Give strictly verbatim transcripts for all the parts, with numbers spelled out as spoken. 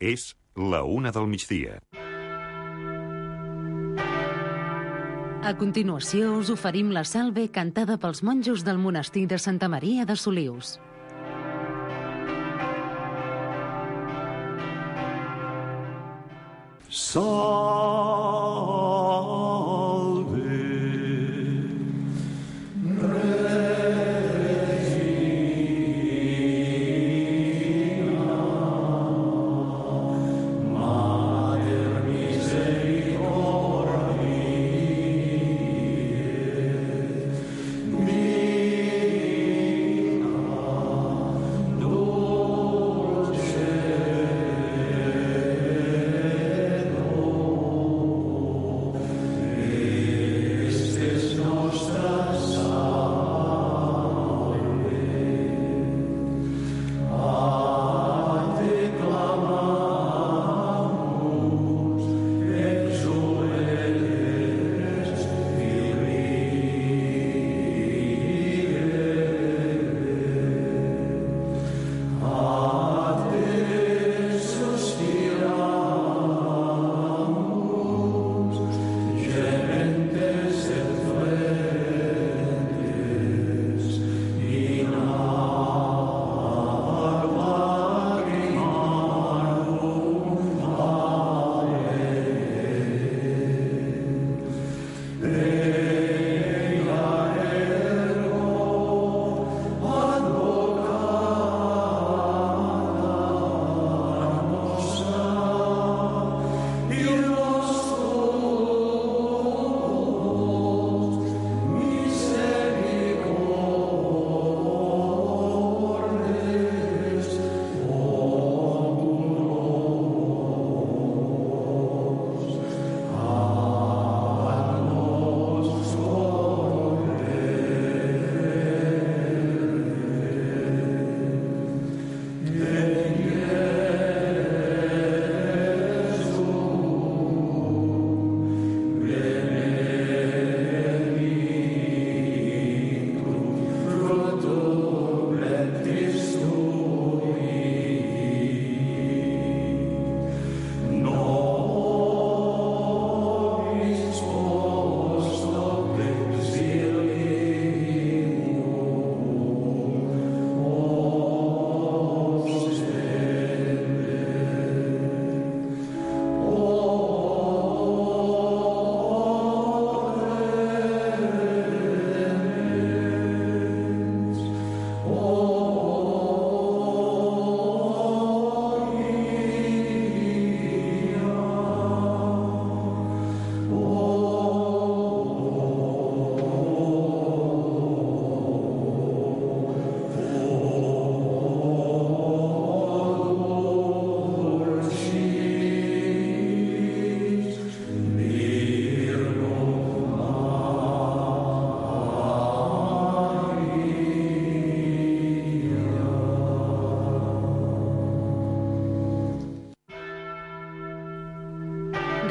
És la una del migdia. A continuació us oferim la salve cantada pels monjos del monestir de Santa Maria de Solius.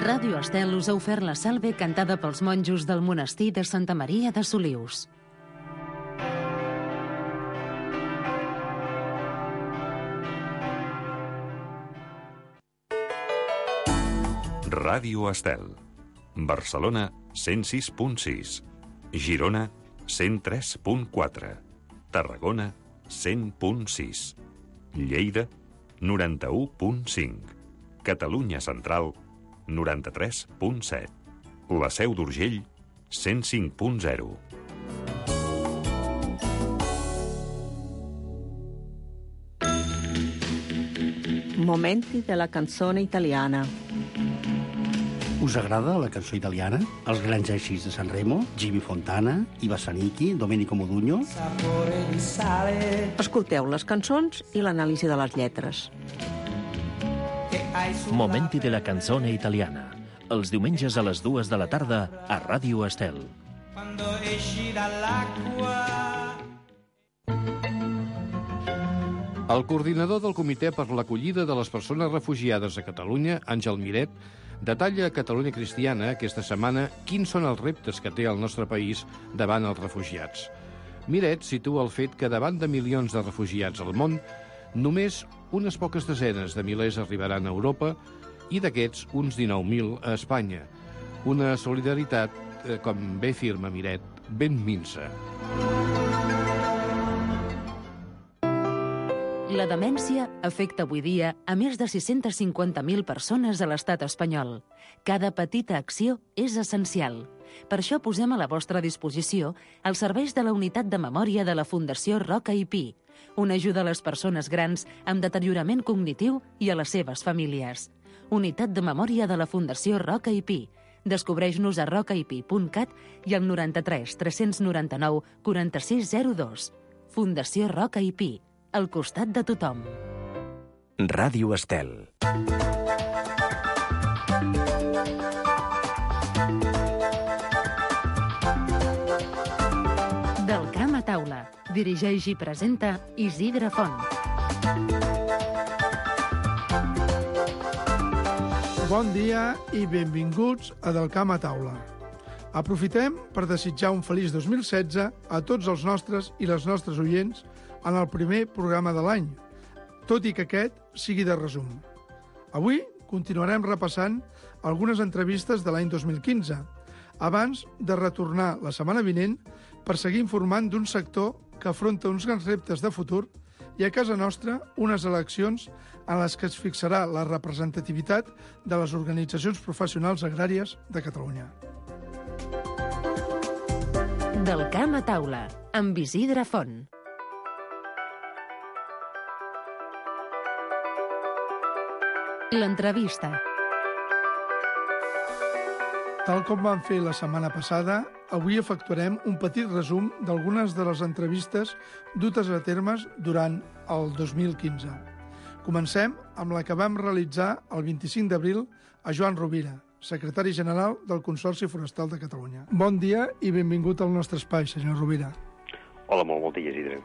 Ràdio Estel us ha ofert la salve cantada pels monjos del monestir de Santa Maria de Solius. Ràdio Estel. Barcelona, cent sis punt sis. Girona, cent tres punt quatre. Tarragona, cent punt sis. Lleida, noranta-u punt cinc. Catalunya Central, noranta-tres punt set. La Seu d'Urgell, cent cinc punt zero. Momenti della canzone italiana. Us agrada la cançó italiana? Els grans èxits de Sanremo, Jimmy Fontana, Iva Zanicchi, Domenico Modugno? Escolteu les cançons i l'anàlisi de les lletres. Momenti de la canzone italiana. Els diumenges a les dues de la tarda a Ràdio Estel. El coordinador del Comitè per l'Acollida de les Persones Refugiades a Catalunya, Àngel Miret, detalla a Catalunya Cristiana aquesta setmana quins són els reptes que té el nostre país davant els refugiats. Miret situa el fet que davant de milions de refugiats al món Només unes poques desenes de milers arribaran a Europa i d'aquests uns dinou mil a Espanya. Una solidaritat, eh, com bé afirma Miret, ben minsa. La demència afecta avui dia a més de sis-centes cinquanta mil persones a l'estat espanyol. Cada petita acció és essencial. Per això posem a la vostra disposició els serveis de la Unitat de Memòria de la Fundació Roca i Pi, una ajuda a les persones grans amb deteriorament cognitiu i a les seves famílies. Unitat de Memòria de la Fundació Roca i Pi. Descobreix-nos a roca i pi punt cat i al noranta-tres tres-cents noranta-nou quaranta-sis zero dos. Fundació Roca i Pi, al costat de tothom. Ràdio Estel. Del camp a taula. Dirigeix i presenta Isidre Font. Bon dia i benvinguts a Del camp a taula. Aprofitem per desitjar un feliç dos mil setze a tots els nostres i les nostres oients en el primer programa de l'any, tot i que aquest sigui de resum. Avui continuarem repassant algunes entrevistes de l'any dos mil quinze, abans de retornar la setmana vinent per seguir informant d'un sector que afronta uns grans reptes de futur i a casa nostra unes eleccions en les que es fixarà la representativitat de les organitzacions professionals agràries de Catalunya. Del camp a taula, amb Isidre Font. L'entrevista. Tal com vam fer la setmana passada, avui efectuarem un petit resum d'algunes de les entrevistes dutes a termes durant el dos mil quinze. Comencem amb la que vam realitzar el vint-i-cinc d'abril a Joan Rovira, secretari general del Consorci Forestal de Catalunya. Bon dia i benvingut al nostre espai, senyor Rovira. Hola, molt bon dia, Isidre.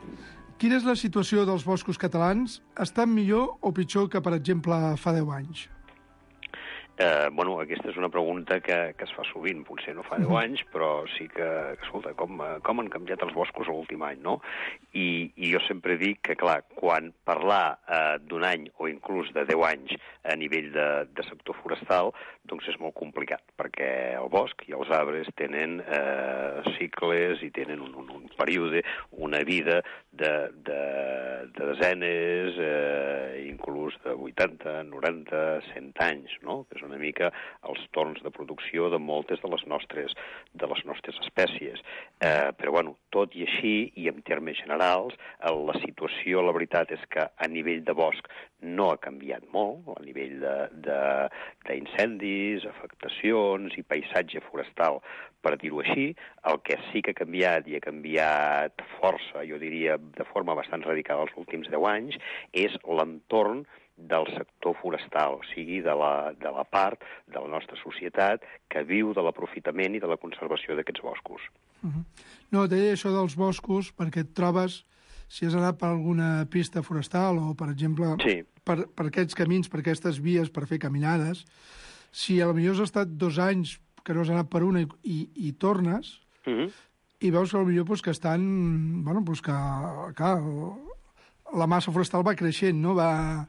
Quina és la situació dels boscos catalans? Estan millor o pitjor que, per exemple, fa deu anys? Eh, bueno, aquesta és una pregunta que, que es fa sovint, potser no fa deu anys, però sí que, escolta, com, com han canviat els boscos l'últim any, no? I, I jo sempre dic que, clar, quan parlar eh, d'un any o inclús de deu anys a nivell de, de sector forestal, doncs és molt complicat, perquè el bosc i els arbres tenen eh, cicles i tenen un, un, un període, una vida de, de, de desenes, eh, inclús de vuitanta, noranta, cent anys, no? Que és una mica els torns de producció de moltes de les nostres, de les nostres espècies. Eh, però, bueno, tot i així, i en termes generals, la situació, la veritat, és que a nivell de bosc no ha canviat molt, a nivell d'incendis, afectacions i paisatge forestal, per dir-ho així. El que sí que ha canviat, i ha canviat força, jo diria, de forma bastant radical els últims deu anys, és l'entorn del sector forestal, o sigui, de la, de la part de la nostra societat que viu de l'aprofitament i de la conservació d'aquests boscos. Uh-huh. No, deia això dels boscos perquè et trobes, si has anat per alguna pista forestal o, per exemple, sí. per, per aquests camins, per aquestes vies per fer caminades, si potser has estat dos anys que no has anat per una i, i, i tornes, uh-huh. i veus que potser pues, que estan... Bueno, pues que, clar, la massa forestal va creixent, no? Va...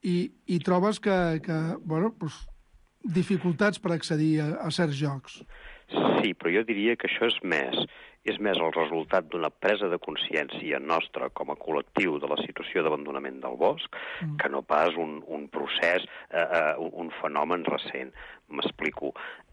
I, i trobes que, que bueno, pues, dificultats per accedir a, a certs llocs. Sí, però jo diria que això és més, és més el resultat d'una presa de consciència nostra com a col·lectiu de la situació d'abandonament del bosc, mm. que no pas un, un procés, eh, uh, un fenomen recent. M'explico.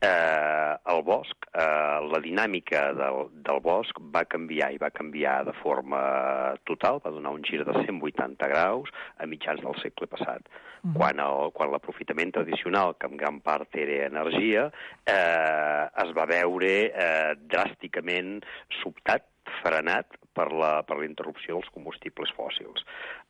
Eh, el bosc, eh, la dinàmica del, del bosc va canviar, i va canviar de forma total, va donar un gir de cent vuitanta graus a mitjans del segle passat. Mm-hmm. Quan, el, quan l'aprofitament tradicional, que en gran part era energia, eh, es va veure eh, dràsticament sobtat, frenat per la, per la interrupció dels combustibles fòssils.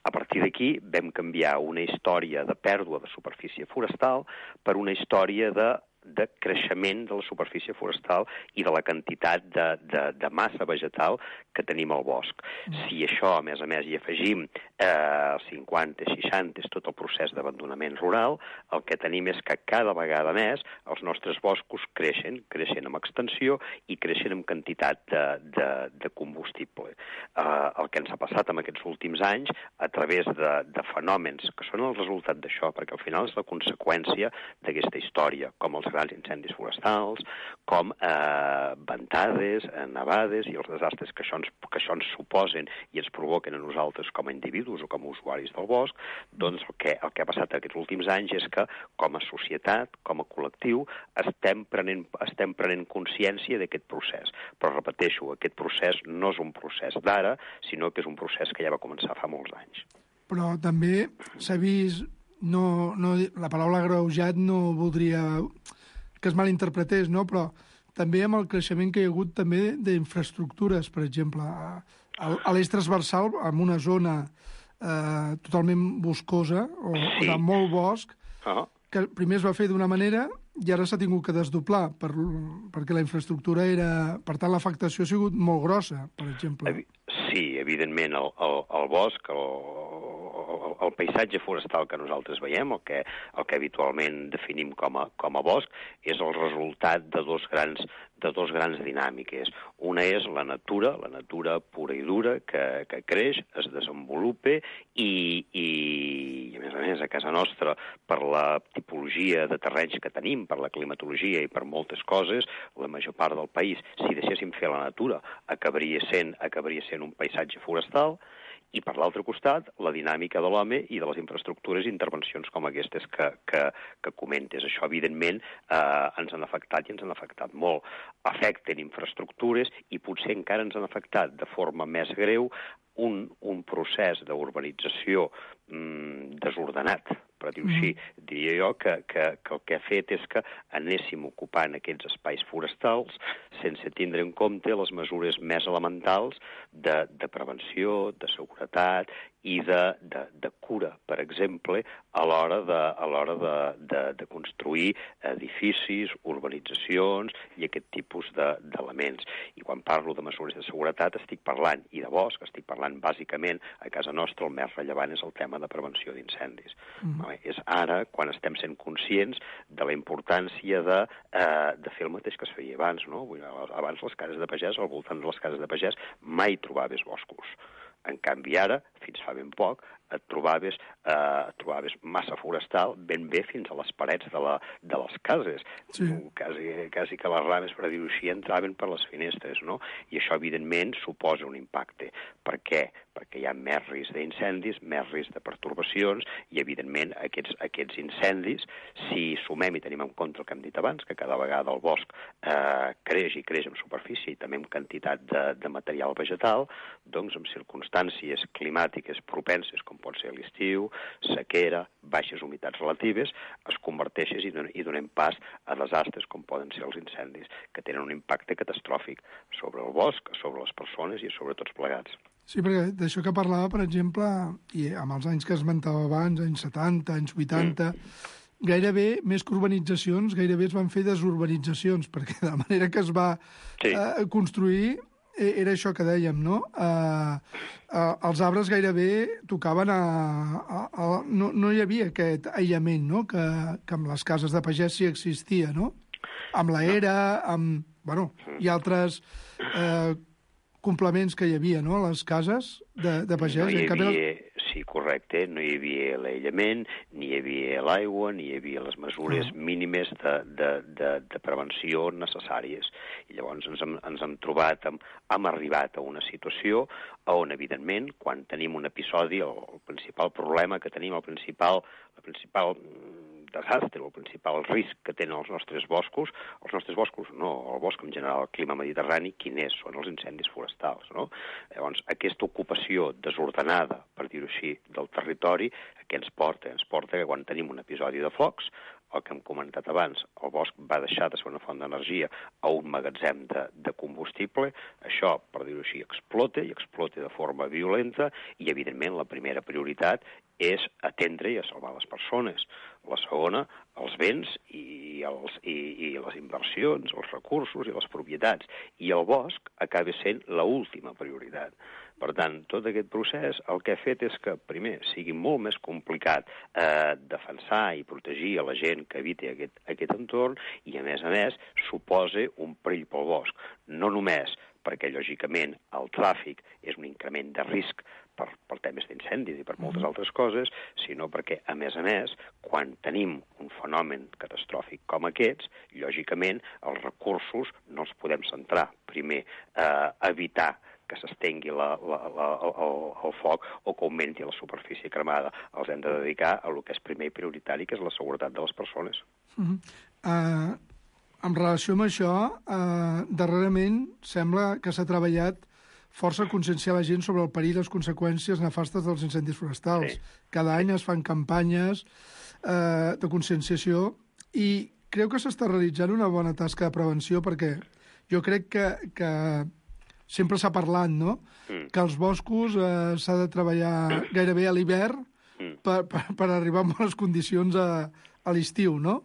A partir d'aquí vam canviar una història de pèrdua de superfície forestal per una història de de creixement de la superfície forestal i de la quantitat de, de, de massa vegetal que tenim al bosc. Si això, a més a més, hi afegim eh, cinquanta, seixanta, és tot el procés d'abandonament rural, el que tenim és que cada vegada més els nostres boscos creixen, creixen amb extensió i creixen amb quantitat de, de, de combustible. Eh, el que ens ha passat en aquests últims anys, a través de, de fenòmens que són el resultat d'això, perquè al final és la conseqüència d'aquesta història, com els grans incendis forestals, com eh, ventades, eh, nevades i els desastres que això, ens, que això ens suposen i ens provoquen a nosaltres com a individus o com a usuaris del bosc, doncs el que, el que ha passat aquests últims anys és que com a societat, com a col·lectiu, estem prenent, estem prenent consciència d'aquest procés. Però repeteixo, aquest procés no és un procés d'ara, sinó que és un procés que ja va començar fa molts anys. Però també s'ha vist, no, no, la paraula agreujat no voldria que es malinterpretés, no? Però també amb el creixement que hi ha hagut també d'infraestructures, per exemple, a, a l'eix transversal, en una zona eh, totalment boscosa, o, sí. o de molt bosc, uh-huh. que primer es va fer d'una manera i ara s'ha tingut que desdoblar, per, perquè la infraestructura era... Per tant, l'afectació ha sigut molt grossa, per exemple. Sí, evidentment, el, el, el bosc, el, el, el paisatge forestal que nosaltres veiem, el que, el que habitualment definim com a, com a bosc, és el resultat de dos grans de dos grans dinàmiques. Una és la natura, la natura pura i dura, que, que creix, es desenvolupa i, i, i, a més a més, a casa nostra, per la tipologia de terrenys que tenim, per la climatologia i per moltes coses, la major part del país, si deixéssim fer la natura, acabaria sent, acabaria sent un paisatge forestal, i per l'altre costat, la dinàmica de l'home i de les infraestructures i intervencions com aquestes que, que, que comentes. Això, evidentment, eh, ens han afectat i ens han afectat molt. Afecten infraestructures i potser encara ens han afectat de forma més greu un, un procés d'urbanització mm, desordenat, per dir-ho així. Diria jo que, que, que el que ha fet és que anéssim ocupant aquests espais forestals sense tindre en compte les mesures més elementals de, de prevenció, de seguretat i de, de, de cura, per exemple, a l'hora de, a l'hora de, de, de construir edificis, urbanitzacions i aquest tipus de, d'elements. I quan parlo de mesures de seguretat estic parlant, i de bosc, estic parlant bàsicament, a casa nostra el més rellevant és el tema de prevenció d'incendis. Mm. Vale? És ara quan estem sent conscients de la importància de, eh, de fer el mateix que es feia abans, no? Abans les cases de pagès, al voltant de les cases de pagès, mai trobaves boscos. En canvi, ara, fins fa ben poc, et trobaves, eh, trobaves massa forestal ben bé fins a les parets de, la, de les cases. Sí. Quasi, quasi que les rames, per dir-ho així, entraven per les finestres, no? I això, evidentment, suposa un impacte. Per què? Perquè hi ha més risc d'incendis, més risc de pertorbacions i, evidentment, aquests, aquests incendis, si sumem i tenim en compte el que hem dit abans, que cada vegada el bosc eh, creix i creix en superfície i també en quantitat de, de material vegetal, doncs amb circumstàncies climàtiques propenses, com pot ser l'estiu, sequera, baixes humitats relatives, es converteixen i, don i donem pas a desastres com poden ser els incendis, que tenen un impacte catastròfic sobre el bosc, sobre les persones i sobre tots plegats. Sí, perquè d'això que parlava, per exemple, i amb els anys que esmentava abans, anys setanta, anys vuitanta, mm. gairebé, més que urbanitzacions, gairebé es van fer desurbanitzacions, perquè de la manera que es va sí. eh, construir era això que dèiem, no? Uh, uh, els arbres gairebé tocaven a... a, a no, no hi havia aquest aïllament, no?, que, que amb les cases de pagès sí existia, no? Amb la era, amb... Bueno, i altres eh, complements que hi havia, no?, a les cases de, de pagès. No hi havia... Sí, correcte, no hi havia l'aïllament, ni hi havia l'aigua, ni hi havia les mesures ah. mínimes de, de, de, de prevenció necessàries. I llavors ens hem, ens hem trobat, hem, hem arribat a una situació on, evidentment, quan tenim un episodi, el, el principal problema que tenim, el principal, la principal desastre, el principal risc que tenen els nostres boscos, els nostres boscos, no, el bosc en general, el clima mediterrani, quin és? Són els incendis forestals, no? Llavors, aquesta ocupació desordenada, per dir-ho així, del territori, què ens porta? Ens porta que quan tenim un episodi de focs, el que hem comentat abans, el bosc va deixar de ser una font d'energia a un magatzem de, de combustible, això, per dir-ho així, explota, i explota de forma violenta, i, evidentment, la primera prioritat és atendre i a salvar les persones. La segona, els béns i els, i, i les inversions, els recursos i les propietats. I el bosc acaba sent l'última prioritat. Per tant, tot aquest procés el que ha fet és que, primer, sigui molt més complicat eh, defensar i protegir a la gent que habiti aquest, aquest entorn i, a més a més, suposa un perill pel bosc. No només perquè, lògicament, el tràfic és un increment de risc per, per temes d'incendis i per moltes altres coses, sinó perquè, a més a més, quan tenim un fenomen catastròfic com aquests, lògicament, els recursos no els podem centrar. Primer, eh, evitar que s'estengui la, la, la, el, el foc o que augmenti la superfície cremada. Els hem de dedicar a el que és primer i prioritari, que és la seguretat de les persones. Uh-huh. uh, en relació amb això, uh, darrerament sembla que s'ha treballat força a conscienciar la gent sobre el perill i les conseqüències nefastes dels incendis forestals. Sí. Cada any es fan campanyes uh, de conscienciació i crec que s'està realitzant una bona tasca de prevenció perquè jo crec que, que sempre s'ha parlat, no?, mm. que els boscos eh, s'ha de treballar gairebé a l'hivern mm. per, per, per arribar a bones condicions a, a l'estiu, no?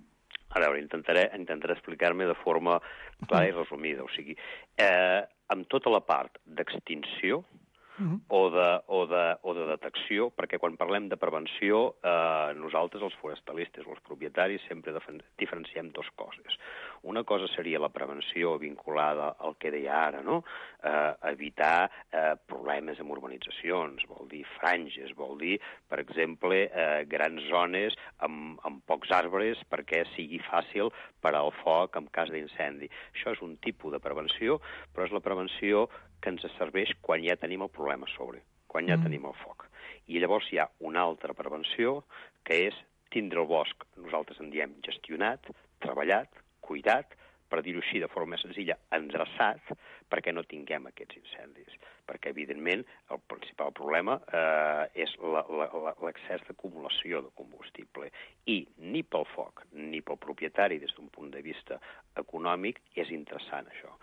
A veure, intentaré, intentaré explicar-me de forma clara i resumida. O sigui, eh, amb tota la part d'extinció mm-hmm. o, de, o, de, o de detecció, perquè quan parlem de prevenció, eh, nosaltres, els forestalistes o els propietaris, sempre diferenciem dues coses. Una cosa seria la prevenció vinculada al que deia ara, no? Eh, evitar eh, problemes amb urbanitzacions, vol dir franges, vol dir, per exemple, eh, grans zones amb, amb pocs arbres perquè sigui fàcil per al foc en cas d'incendi. Això és un tipus de prevenció, però és la prevenció que ens serveix quan ja tenim el problema a sobre, quan ja mm. tenim el foc. I llavors hi ha una altra prevenció, que és tindre el bosc, nosaltres en diem gestionat, treballat, cuidat, per dir-ho així de forma més senzilla, endreçat, perquè no tinguem aquests incendis. Perquè, evidentment, el principal problema eh, és l'excés d'acumulació de combustible. I ni pel foc ni pel propietari, des d'un punt de vista econòmic, és interessant això.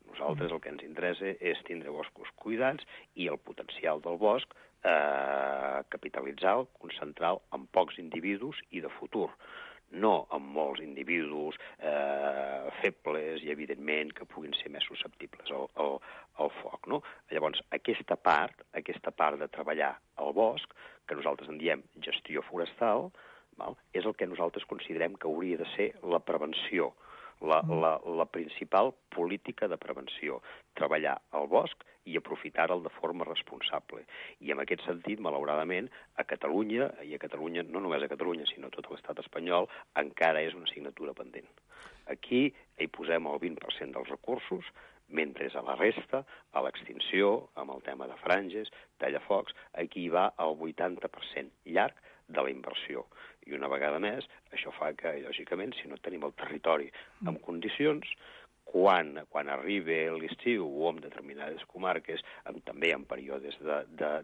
Nosaltres el que ens interessa és tindre boscos cuidats i el potencial del bosc eh, capitalitzar-lo, concentrar-lo en pocs individus i de futur. No amb molts individus eh, febles i, evidentment, que puguin ser més susceptibles al, al, al foc, no? Llavors, aquesta part, aquesta part de treballar al bosc, que nosaltres en diem gestió forestal, val? És el que nosaltres considerem que hauria de ser la prevenció, la, la, la principal política de prevenció, treballar al bosc i aprofitar-lo de forma responsable. I en aquest sentit, malauradament, a Catalunya, i a Catalunya, no només a Catalunya, sinó a tot l'estat espanyol, encara és una assignatura pendent. Aquí hi posem el vint per cent dels recursos, mentre a la resta, a l'extinció, amb el tema de franges, tallafocs, aquí hi va el vuitanta per cent llarg de la inversió. I una vegada més, això fa que, lògicament, si no tenim el territori en condicions, quan, quan arribi l'estiu o en determinades comarques, amb, també en períodes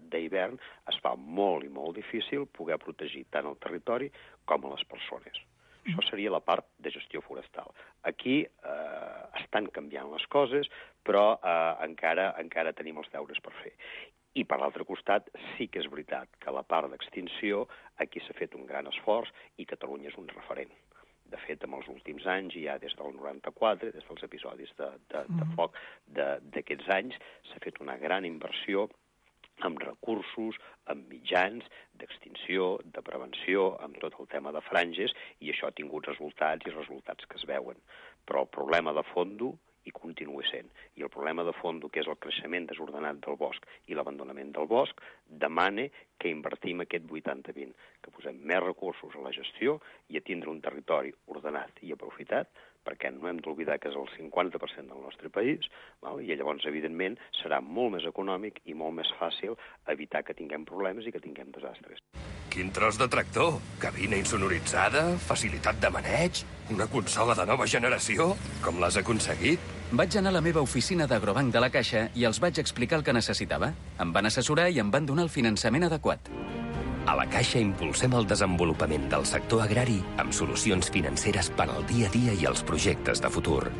d'hivern, es fa molt i molt difícil poder protegir tant el territori com a les persones. Això seria la part de gestió forestal. Aquí eh, estan canviant les coses, però eh, encara, encara tenim els deures per fer. I, per l'altre costat, sí que és veritat que la part d'extinció aquí s'ha fet un gran esforç i Catalunya és un referent. De fet, en els últims anys, ja des del noranta-quatre, des dels episodis de, de, de foc d'aquests anys, s'ha fet una gran inversió amb recursos, amb mitjans d'extinció, de prevenció, amb tot el tema de franges, i això ha tingut resultats i resultats que es veuen. Però el problema de fondo i continua sent. I el problema de fondo, que és el creixement desordenat del bosc i l'abandonament del bosc, demana que invertim aquest vuitanta vint, que posem més recursos a la gestió i a tindre un territori ordenat i aprofitat, perquè no hem d'oblidar que és el cinquanta per cent del nostre país, val? I llavors, evidentment, serà molt més econòmic i molt més fàcil evitar que tinguem problemes i que tinguem desastres. Quin tros de tractor, cabina insonoritzada, facilitat de maneig, una consola de nova generació. Com l'has aconseguit? Vaig anar a la meva oficina d'Agrobanc de la Caixa i els vaig explicar el que necessitava. Em van assessorar i em van donar el finançament adequat. A la Caixa impulsem el desenvolupament del sector agrari amb solucions financeres per al dia a dia i els projectes de futur.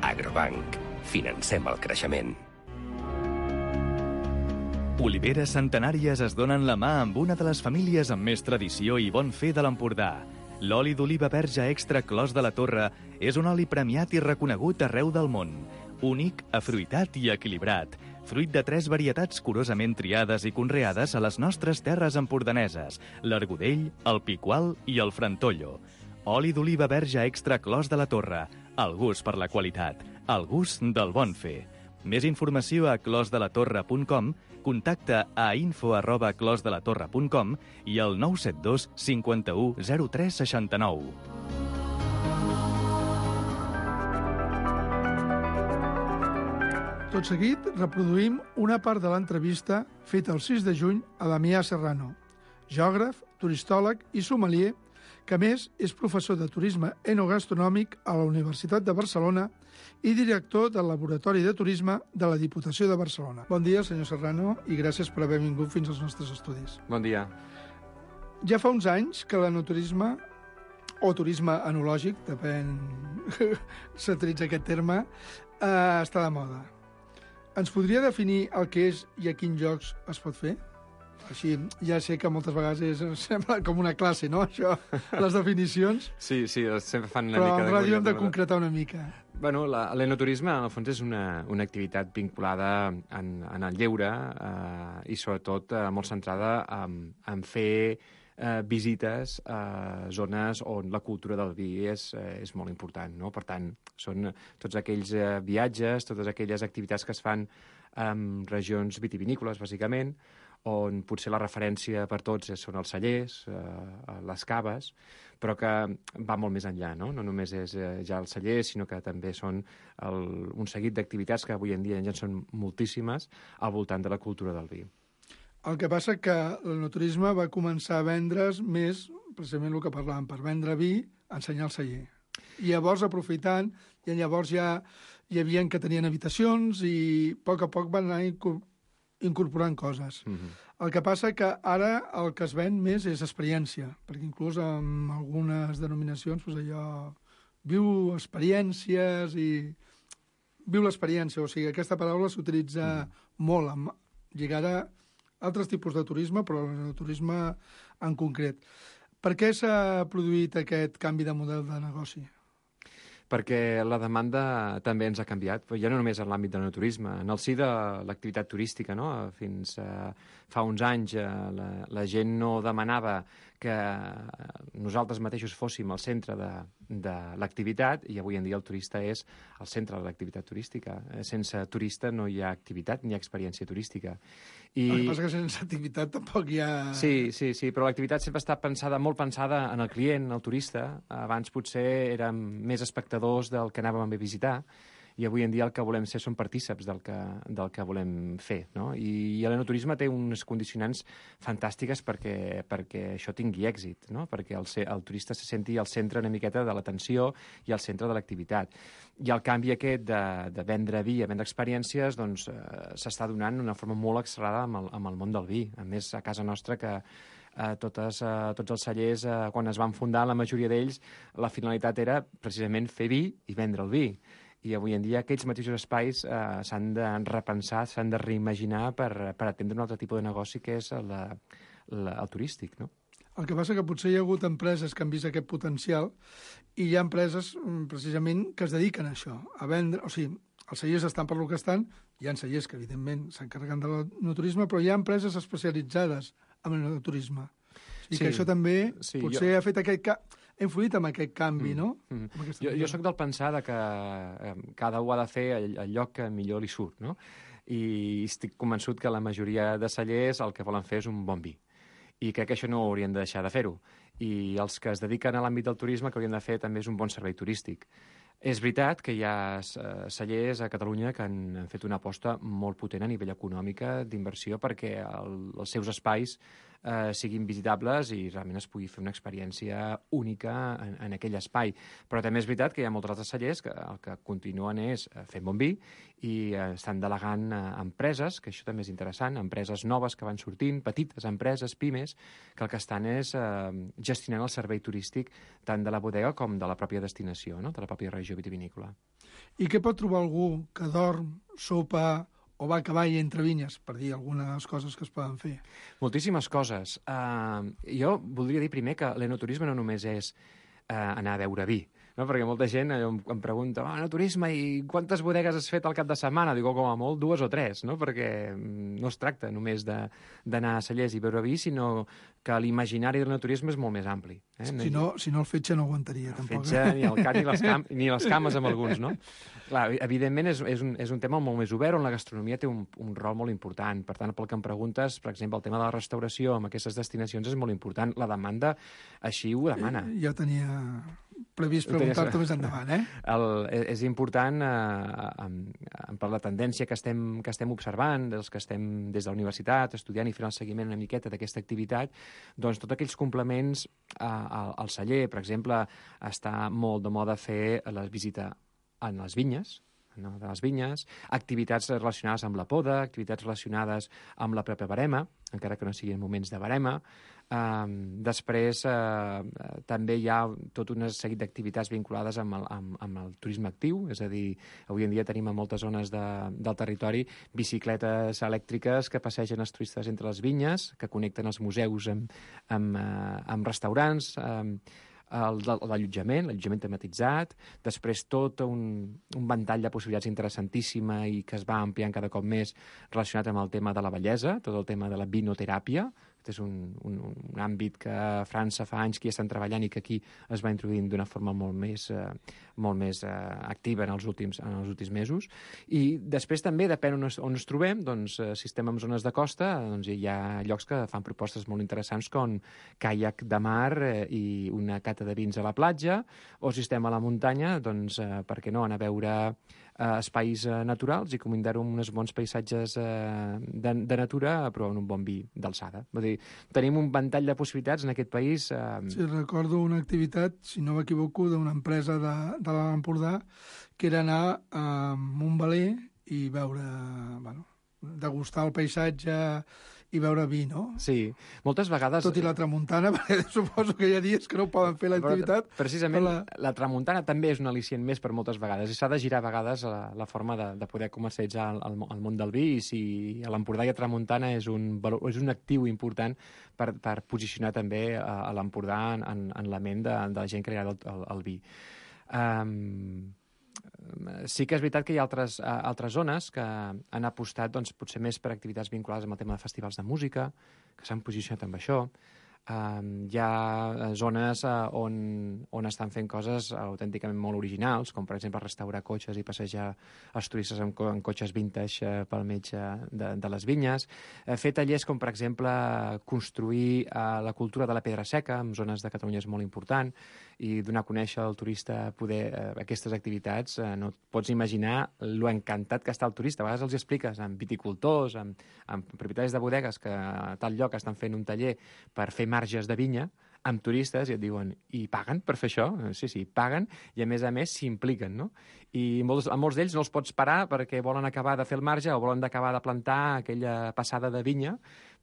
Agrobanc. Financem el creixement. Oliveres centenàries es donen la mà amb una de les famílies amb més tradició i bon fer de l'Empordà. L'oli d'oliva verge extra Clos de la Torre és un oli premiat i reconegut arreu del món. Únic, afruitat i equilibrat. Fruit de tres varietats curosament triades i conreades a les nostres terres empordaneses, l'Argudell, el Picual i el Frantollo. Oli d'oliva verge extra Clos de la Torre. El gust per la qualitat. El gust del bon fer. Més informació a clos de la torre punt com, contacta a info arroba clos de la torre punt com i al nou set dos cinquanta-u zero tres seixanta-nou. Tot seguit, reproduïm una part de l'entrevista feta el sis de juny a Damià Serrano, geògraf, turistòleg i sommelier, que a més és professor de turisme enogastronòmic a la Universitat de Barcelona i director del Laboratori de Turisme de la Diputació de Barcelona. Bon dia, senyor Serrano, i gràcies per haver vingut fins als nostres estudis. Bon dia. Ja fa uns anys que l'enoturisme, o turisme enològic, depèn, s'utilitza aquest terme, eh, està de moda. Ens podria definir el que és i a quins llocs es pot fer? Així, ja sé que moltes vegades és, sembla com una classe, no?, això, les definicions. Sí, sí, sempre fan una però mica... Però en ràdio hem de concretar una mica. Bueno, l'enoturisme, en el fons, és una, una activitat vinculada en, en el lleure eh, i, sobretot, eh, molt centrada en, en fer eh, visites a zones on la cultura del vi és, eh, és molt important, no? Per tant, són tots aquells eh, viatges, totes aquelles activitats que es fan en regions vitivinícoles, bàsicament, on potser la referència per tots són els cellers, eh, les caves, però que va molt més enllà, no? No només és eh, ja els cellers, sinó que també són el, un seguit d'activitats que avui en dia ja són moltíssimes al voltant de la cultura del vi. El que passa que l'enoturisme va començar a vendre's més, precisament el que parlàvem, per vendre vi, ensenyar el celler. I llavors, aprofitant, i llavors ja hi havia que tenien habitacions i a poc a poc van anar incorporant coses. Mm-hmm. El que passa que ara el que es ven més és experiència, perquè inclús en algunes denominacions, doncs allò, viu experiències i viu l'experiència, o sigui, aquesta paraula s'utilitza mm-hmm. molt, amb, lligada a altres tipus de turisme, però el turisme en concret. Per què s'ha produït aquest canvi de model de negoci? Perquè la demanda també ens ha canviat, però ja no només en l'àmbit del turisme, en el si de l'activitat turística, no? Fins eh, fa uns anys eh, la, la gent no demanava que nosaltres mateixos fóssim al centre de, de l'activitat i avui en dia el turista és el centre de l'activitat turística. Sense turista no hi ha activitat ni experiència turística. I... El que passa que sense activitat tampoc hi ha... Sí, sí, sí, però l'activitat sempre està pensada, molt pensada en el client, en el turista. Abans potser érem més espectadors del que anàvem a visitar i avui en dia el que volem ser són partíceps del que, del que volem fer, no? I, i l'enoturisme té uns condicionants fantàstiques perquè, perquè això tingui èxit, no? Perquè el, el turista se senti al centre una miqueta de l'atenció i al centre de l'activitat. I el canvi aquest de, de vendre vi a vendre experiències doncs, eh, s'està donant d'una forma molt accelerada amb el, amb el món del vi. A més, a casa nostra que eh, totes, eh, tots els cellers, eh, quan es van fundar, la majoria d'ells, la finalitat era precisament fer vi i vendre el vi. I avui en dia aquests mateixos espais eh, s'han de repensar, s'han de reimaginar per, per atendre un altre tipus de negoci que és la, la, el turístic, no? El que passa que potser hi ha hagut empreses que han vist aquest potencial i hi ha empreses precisament que es dediquen a això, a vendre... O sigui, els cellers estan per lo que estan, hi ha cellers que evidentment s'encarreguen de l'enoturisme, però hi ha empreses especialitzades en l'enoturisme. I sí, que això també sí, potser jo... ha fet aquest... Ca... ha influït en aquest canvi, mm, no? Mm. Jo, jo sóc del pensar de que eh, cada un ha de fer el, el lloc que millor li surt, no? I estic convençut que la majoria de cellers el que volen fer és un bon vi. I crec que això no haurien de deixar de fer-ho. I els que es dediquen a l'àmbit del turisme el que haurien de fer també és un bon servei turístic. És veritat que hi ha cellers a Catalunya que han fet una aposta molt potent a nivell econòmica d'inversió perquè el, els seus espais eh, siguin visitables i realment es pugui fer una experiència única en, en aquell espai. Però també és veritat que hi ha molts altres cellers que el que continuen és fent bon vi i eh, estan delegant eh, empreses, que això també és interessant, empreses noves que van sortint, petites empreses, pimes, que el que estan és eh, gestionant el servei turístic tant de la bodega com de la pròpia destinació, no? De la pròpia regió vitivinícola. I què pot trobar algú que dorm, sopa o va a cavall entre vinyes, per dir algunes coses que es poden fer? Moltíssimes coses. Uh, jo voldria dir primer que l'enoturisme no només és uh, anar a beure vi, no? Perquè molta gent em, em pregunta, oh, enoturisme, i quantes bodegues has fet al cap de setmana? Digo, com a molt, dues o tres, no? Perquè no es tracta només d'anar a cellers i beure vi, sinó que l'imaginari de l'enoturisme és molt més ampli. Eh? Si no, si no el fetge no aguantaria, el tampoc. Fetge, ni el cat ni les, cam ni les cames amb alguns, no? Clar, evidentment és, és, un, és un tema molt més obert, on la gastronomia té un, un rol molt important. Per tant, pel que em preguntes, per exemple, el tema de la restauració amb aquestes destinacions és molt important. La demanda així ho demana. Eh, ja tenia previst preguntar-te més endavant, eh? El, és important eh, per la tendència que estem, que estem observant, dels que estem des de la universitat estudiant i fent el seguiment una miqueta d'aquesta activitat, doncs tots aquells complements eh, al, al celler, per exemple, està molt de moda fer la visita en les vinyes, no, de les vinyes, activitats relacionades amb la poda, activitats relacionades amb la pròpia barema, encara que no siguin moments de barema. Um, després uh, també hi ha tot un seguit d'activitats vinculades amb el, amb, amb el turisme actiu, és a dir, avui en dia tenim a moltes zones de, del territori bicicletes elèctriques que passegen els turistes entre les vinyes, que connecten els museus amb, amb, uh, amb restaurants, um, l'allotjament, l'allotjament tematitzat, després tot un, un ventall de possibilitats interessantíssima i que es va ampliant cada cop més relacionat amb el tema de la bellesa, tot el tema de la vinoteràpia. Aquest és un, un, un àmbit que a França fa anys que hi estan treballant i que aquí es va introduint d'una forma molt més, eh, molt més eh, activa en els, últims, en els últims mesos. I després també, depèn on es, on ens trobem, doncs, eh, si estem en zones de costa, doncs hi ha llocs que fan propostes molt interessants com caiac de mar eh, i una cata de vins a la platja, o si estem a la muntanya, doncs, eh, per què no, anar a veure eh, espais eh, naturals i combinar-ho amb uns bons paisatges eh, de, de natura, però en un bon vi d'alçada. Vull dir, tenim un ventall de possibilitats en aquest país. Eh... Sí, recordo una activitat, si no m'equivoco, d'una empresa de, de l'Alt Empordà, que era anar a Montbaler i veure, bueno, degustar el paisatge i veure vi, no? Sí, moltes vegades... Tot i la tramuntana, perquè suposo que hi ha dies que no poden fer l'activitat. Precisament, la... la tramuntana també és un al·licient més per moltes vegades, i s'ha de girar a vegades la, la forma de, de poder comercialitzar el, el, el món del vi, i si a l'Empordà hi ha tramuntana és un, és un actiu important per, per posicionar també a, a l'Empordà en, en, en la ment de, de la gent que li agrada el, el, el vi. Um... Sí que és veritat que hi ha altres, altres zones que han apostat doncs, potser més per activitats vinculades amb el tema de festivals de música, que s'han posicionat amb això. Um, hi ha zones uh, on, on estan fent coses autènticament molt originals, com per exemple restaurar cotxes i passejar els turistes en, co en cotxes vintage uh, pel mig uh, de, de les vinyes. Uh, fer tallers com per exemple construir uh, la cultura de la pedra seca en zones de Catalunya és molt important, i donar a conèixer al turista poder uh, aquestes activitats. Uh, no et pots imaginar lo encantat que està el turista. A vegades els expliques amb viticultors, amb, amb propietaris de bodegues que a tal lloc estan fent un taller per fer marges de vinya amb turistes, i et diuen, i paguen per fer això? Sí, sí, paguen, i a més a més s'impliquen, no? I molts, a molts d'ells no els pots parar perquè volen acabar de fer el marge o volen acabar de plantar aquella passada de vinya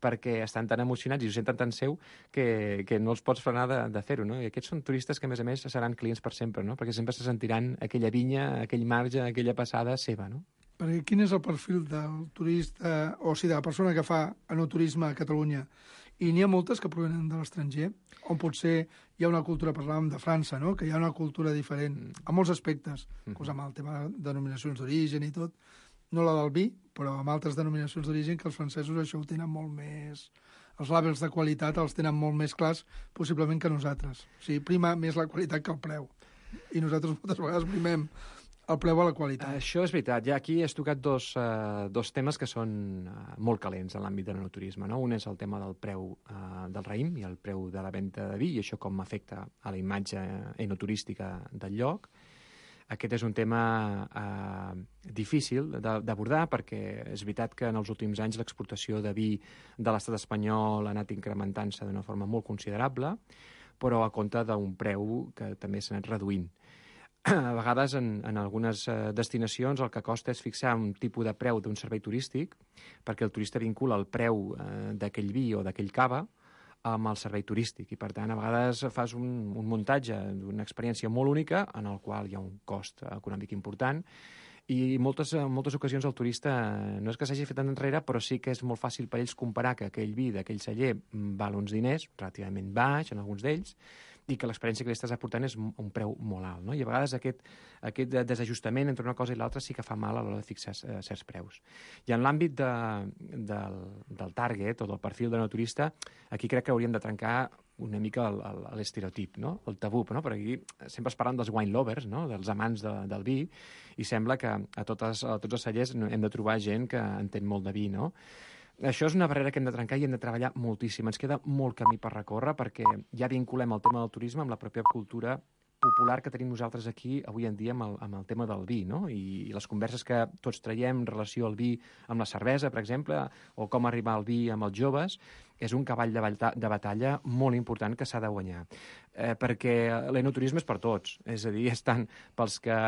perquè estan tan emocionats i ho senten tan seu que, que no els pots frenar de, de fer-ho, no? I aquests són turistes que, a més a més, seran clients per sempre, no? Perquè sempre se sentiran aquella vinya, aquell marge, aquella passada seva, no? Perquè quin és el perfil del turista, o sigui, de la persona que fa enoturisme a Catalunya? I n'hi ha moltes que provenen de l'estranger, on potser hi ha una cultura, parlàvem de França, no? Que hi ha una cultura diferent a molts aspectes, mm. com amb el tema de denominacions d'origen i tot, no la del vi, però amb altres denominacions d'origen, que els francesos això ho tenen molt més... Els làbels de qualitat els tenen molt més clars, possiblement, que nosaltres. O sigui, prima més la qualitat que el preu. I nosaltres moltes vegades primem el preu a la qualitat. Això és veritat. Ja aquí has tocat dos, uh, dos temes que són uh, molt calents en l'àmbit de l'enoturisme, no? Un és el tema del preu uh, del raïm i el preu de la venda de vi, i això com afecta a la imatge enoturística del lloc. Aquest és un tema uh, difícil d'abordar, perquè és veritat que en els últims anys l'exportació de vi de l'estat espanyol ha anat incrementant-se d'una forma molt considerable, però a compte d'un preu que també s'ha anat reduint. A vegades, en, en algunes eh, destinacions, el que costa és fixar un tipus de preu d'un servei turístic, perquè el turista vincula el preu eh, d'aquell vi o d'aquell cava amb el servei turístic. I, per tant, a vegades fas un, un muntatge d'una experiència molt única en el qual hi ha un cost econòmic important, I moltes, en moltes ocasions el turista no és que s'hagi fet enrere, però sí que és molt fàcil per ells comparar que aquell vi d'aquell celler val uns diners, relativament baix en alguns d'ells, i que l'experiència que li estàs aportant és un preu molt alt, no? I a vegades aquest, aquest desajustament entre una cosa i l'altra sí que fa mal a l'hora de fixar certs preus. I en l'àmbit de, del, del target o del perfil de naturista, aquí crec que hauríem de trencar una mica l'estereotip, no? El tabú, no? Perquè aquí sempre es parlen dels wine lovers, no? Dels amants de, del vi, i sembla que a, totes, a tots els cellers hem de trobar gent que entén molt de vi, no? Això és una barrera que hem de trencar i hem de treballar moltíssim. Ens queda molt camí per recórrer perquè ja vinculem el tema del turisme amb la pròpia cultura popular que tenim nosaltres aquí avui en dia amb el, amb el tema del vi, no? I, i les converses que tots traiem en relació al vi amb la cervesa, per exemple, o com arribar al vi amb els joves, és un cavall de, bata de batalla molt important que s'ha de guanyar. Eh, perquè l'enoturisme és per tots, és a dir, és tant pels que,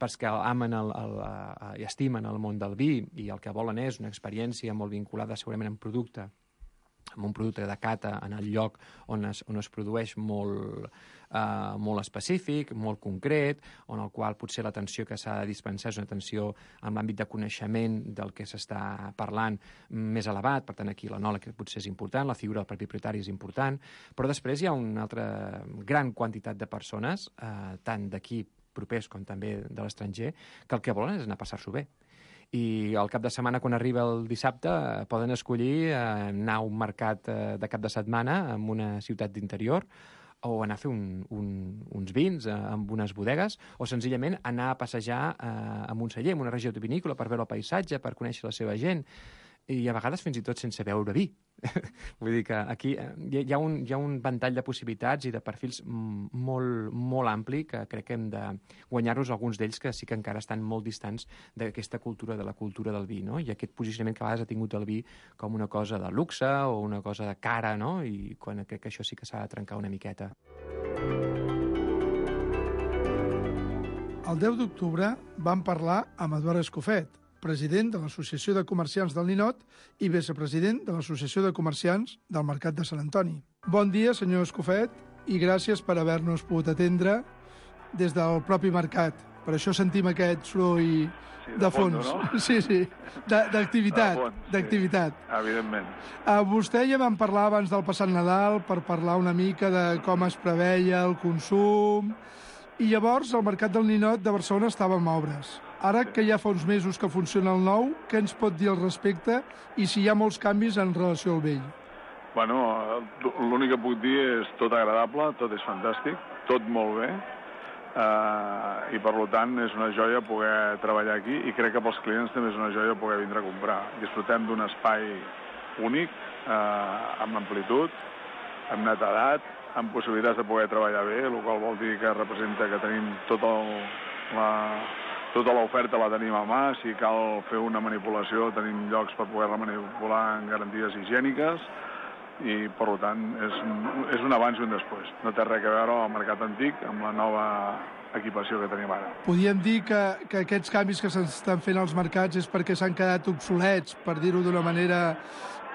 pels que amen el, el, el, i estimen el món del vi i el que volen és una experiència molt vinculada segurament amb producte, amb un producte de cata en el lloc on es, on es produeix molt, uh, molt específic, molt concret, on el qual potser l'atenció que s'ha de dispensar és una atenció en l'àmbit de coneixement del que s'està parlant més elevat, per tant aquí l'enòleg potser és important, la figura del propi propietari és important, però després hi ha una altra gran quantitat de persones, uh, tant d'aquí propers com també de l'estranger, que el que volen és anar a passar-s'ho bé. I al cap de setmana, quan arriba el dissabte, poden escollir anar a un mercat de cap de setmana en una ciutat d'interior o anar a fer un, un, uns vins amb unes bodegues o senzillament anar a passejar eh, en un celler, en una regió vinícola, per veure el paisatge, per conèixer la seva gent i a vegades fins i tot sense beure vi. Vull dir que aquí hi ha, un, hi ha un ventall de possibilitats i de perfils molt, molt ampli que crec que hem de guanyar-nos alguns d'ells que sí que encara estan molt distants d'aquesta cultura, de la cultura del vi, no? I aquest posicionament que a vegades ha tingut el vi com una cosa de luxe o una cosa de cara, no? I quan crec que això sí que s'ha de trencar una miqueta. El deu d'octubre vam parlar amb Eduard Escofet, president de l'Associació de Comerciants del Ninot i vicepresident de l'Associació de Comerciants del Mercat de Sant Antoni. Bon dia, senyor Escofet, i gràcies per haver-nos pogut atendre des del propi mercat. Per això sentim aquest soroll sí, de, de fons. fons. No? Sí, sí, d'activitat. d'activitat. Sí, evidentment. A vostè ja vam parlar abans del passat Nadal per parlar una mica de com es preveia el consum i llavors el Mercat del Ninot de Barcelona estava en obres. Ara que ja fa uns mesos que funciona el nou, què ens pot dir al respecte i si hi ha molts canvis en relació al vell? Bueno, l'únic que puc dir és tot agradable, tot és fantàstic, tot molt bé, eh, i per tant és una joia poder treballar aquí i crec que pels clients també és una joia poder vindre a comprar. Disfrutem d'un espai únic, eh, amb amplitud, amb netedat, amb possibilitats de poder treballar bé, el qual vol dir que representa que tenim tot el, la... Tota l'oferta la tenim a mà, si cal fer una manipulació tenim llocs per poder-la manipular en garanties higièniques i, per tant, és, és un abans i un després. No té res a veure el mercat antic amb la nova equipació que tenim ara. Podríem dir que, que aquests canvis que s'estan fent als mercats és perquè s'han quedat obsolets, per dir-ho d'una manera,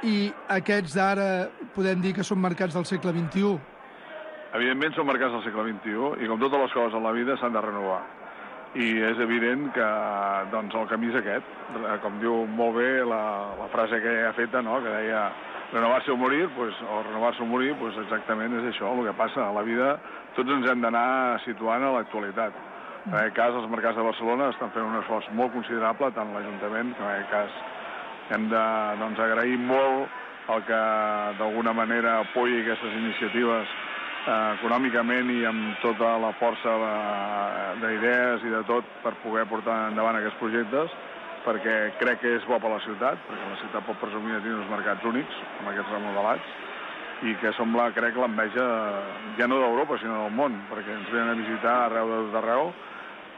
i aquests d'ara podem dir que són mercats del segle vint-i-u? Evidentment són mercats del segle vint-i-u i, com totes les coses en la vida, s'han de renovar. I és evident que doncs, el camí és aquest. Com diu molt bé la, la frase que ja ha feta, no? Que deia renovar-se o morir, pues, o renovar-se o morir, pues, exactament és això el que passa. A la vida tots ens hem d'anar situant a l'actualitat. En aquest cas, els mercats de Barcelona estan fent un esforç molt considerable, tant l'Ajuntament, que en aquest cas hem de doncs, agrair molt el que d'alguna manera apoyi aquestes iniciatives Eh, econòmicament i amb tota la força d'idees i de tot per poder portar endavant aquests projectes, perquè crec que és bo per la ciutat, perquè la ciutat pot presumir de tenir uns mercats únics, amb aquests remodelats, i que sembla, crec, l'enveja ja no d'Europa, sinó del món, perquè ens venen a visitar arreu de tot arreu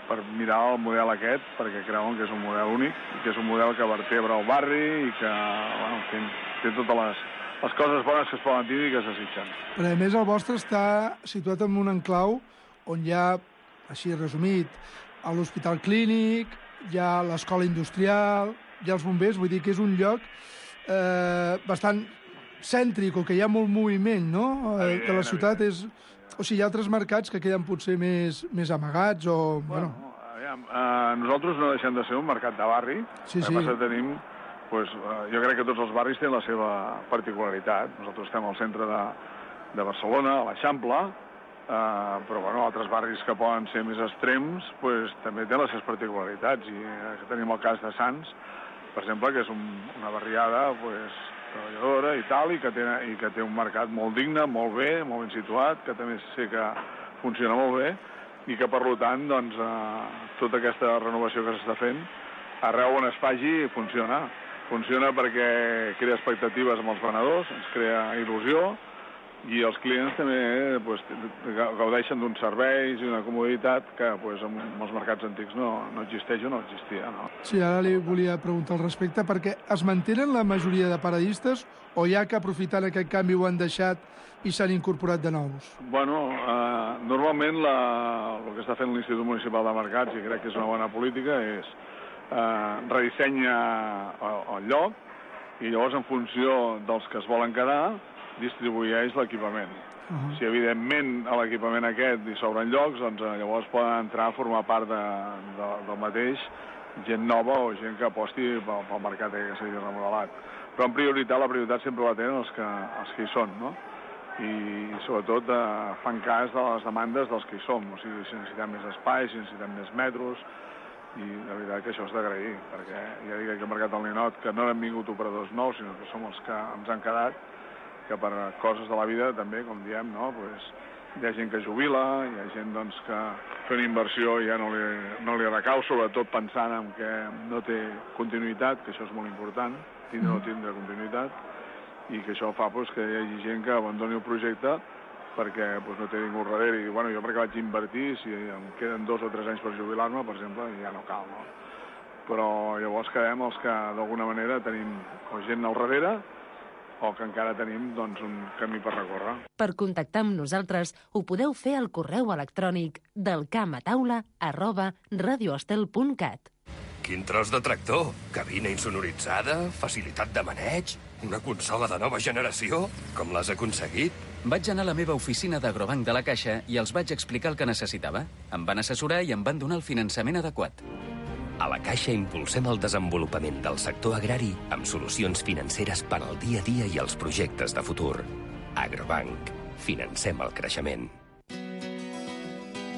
per mirar el model aquest, perquè creuen que és un model únic, i que és un model que vertebra el barri i que, bueno, té, té totes les les coses bones que es poden dir i que es desitgen. Però a més el vostre està situat en un enclau on hi ha, així resumit, l'hospital clínic, hi ha l'escola industrial, hi ha els bombers, vull dir que és un lloc eh, bastant cèntric o que hi ha molt moviment, no? Eh, que la ciutat és... O sigui, hi ha altres mercats que queden potser més, més amagats o... Bueno, bueno. aviam, Aviam, eh, nosaltres no deixem de ser un mercat de barri. Sí, sí. El que passa que tenim, pues, eh, jo crec que tots els barris tenen la seva particularitat. Nosaltres estem al centre de, de Barcelona, a l'Eixample, eh, però bueno, altres barris que poden ser més extrems pues, també tenen les seves particularitats. I eh, tenim el cas de Sants, per exemple, que és un, una barriada pues, treballadora i tal, i que, té, i que té un mercat molt digne, molt bé, molt ben situat, que també sé que funciona molt bé, i que, per tant, doncs, eh, tota aquesta renovació que s'està fent, arreu on es faci, funciona. Funciona perquè crea expectatives amb els venedors, ens crea il·lusió, i els clients també eh, pues, gaudeixen d'uns serveis i una comoditat que pues, en els mercats antics no, no existeix o no existia. No? Sí, ara li volia preguntar al respecte, perquè es mantenen la majoria de paradistes o hi ha que aprofitant aquest canvi ho han deixat i s'han incorporat de nous? Bueno, eh, normalment la, el que està fent l'Institut Municipal de Mercats, i crec que és una bona política, és eh, redissenya el, el lloc i llavors en funció dels que es volen quedar distribueix l'equipament. Uh -huh. Si evidentment a l'equipament aquest hi s'obren llocs, doncs eh, llavors poden entrar a formar part de, de, del mateix gent nova o gent que aposti pel, pel mercat que s'hagi remodelat. Però en prioritat, la prioritat sempre la tenen els que, els que hi són, no? I sobretot eh, fan cas de les demandes dels que hi som, o sigui, si necessitem més espai, si necessitem més metros, i la veritat que això és d'agrair, perquè ja dic que el mercat del Ninot, que no han vingut operadors nous, sinó que som els que ens han quedat, que per coses de la vida també, com diem, no? Pues, hi ha gent que jubila, hi ha gent doncs, que fer una inversió ja no li, no li recau, sobretot pensant en que no té continuïtat, que això és molt important, tindre o no tindre continuïtat, i que això fa pues, que hi hagi gent que abandoni el projecte perquè pues, no té ningú darrere. I bueno, jo perquè vaig invertir, si em queden dos o tres anys per jubilar-me, per exemple, ja no cal, no? Però llavors quedem els que d'alguna manera tenim o gent al darrere o que encara tenim doncs, un camí per recórrer. Per contactar amb nosaltres ho podeu fer al correu electrònic del camataula arroba radioestel punt cat. Quin tros de tractor! Cabina insonoritzada, facilitat de maneig, una consola de nova generació? Com l'has aconseguit? Vaig anar a la meva oficina d'Agrobank de la Caixa i els vaig explicar el que necessitava. Em van assessorar i em van donar el finançament adequat. A la Caixa impulsem el desenvolupament del sector agrari amb solucions financeres per al dia a dia i els projectes de futur. Agrobank. Financem el creixement.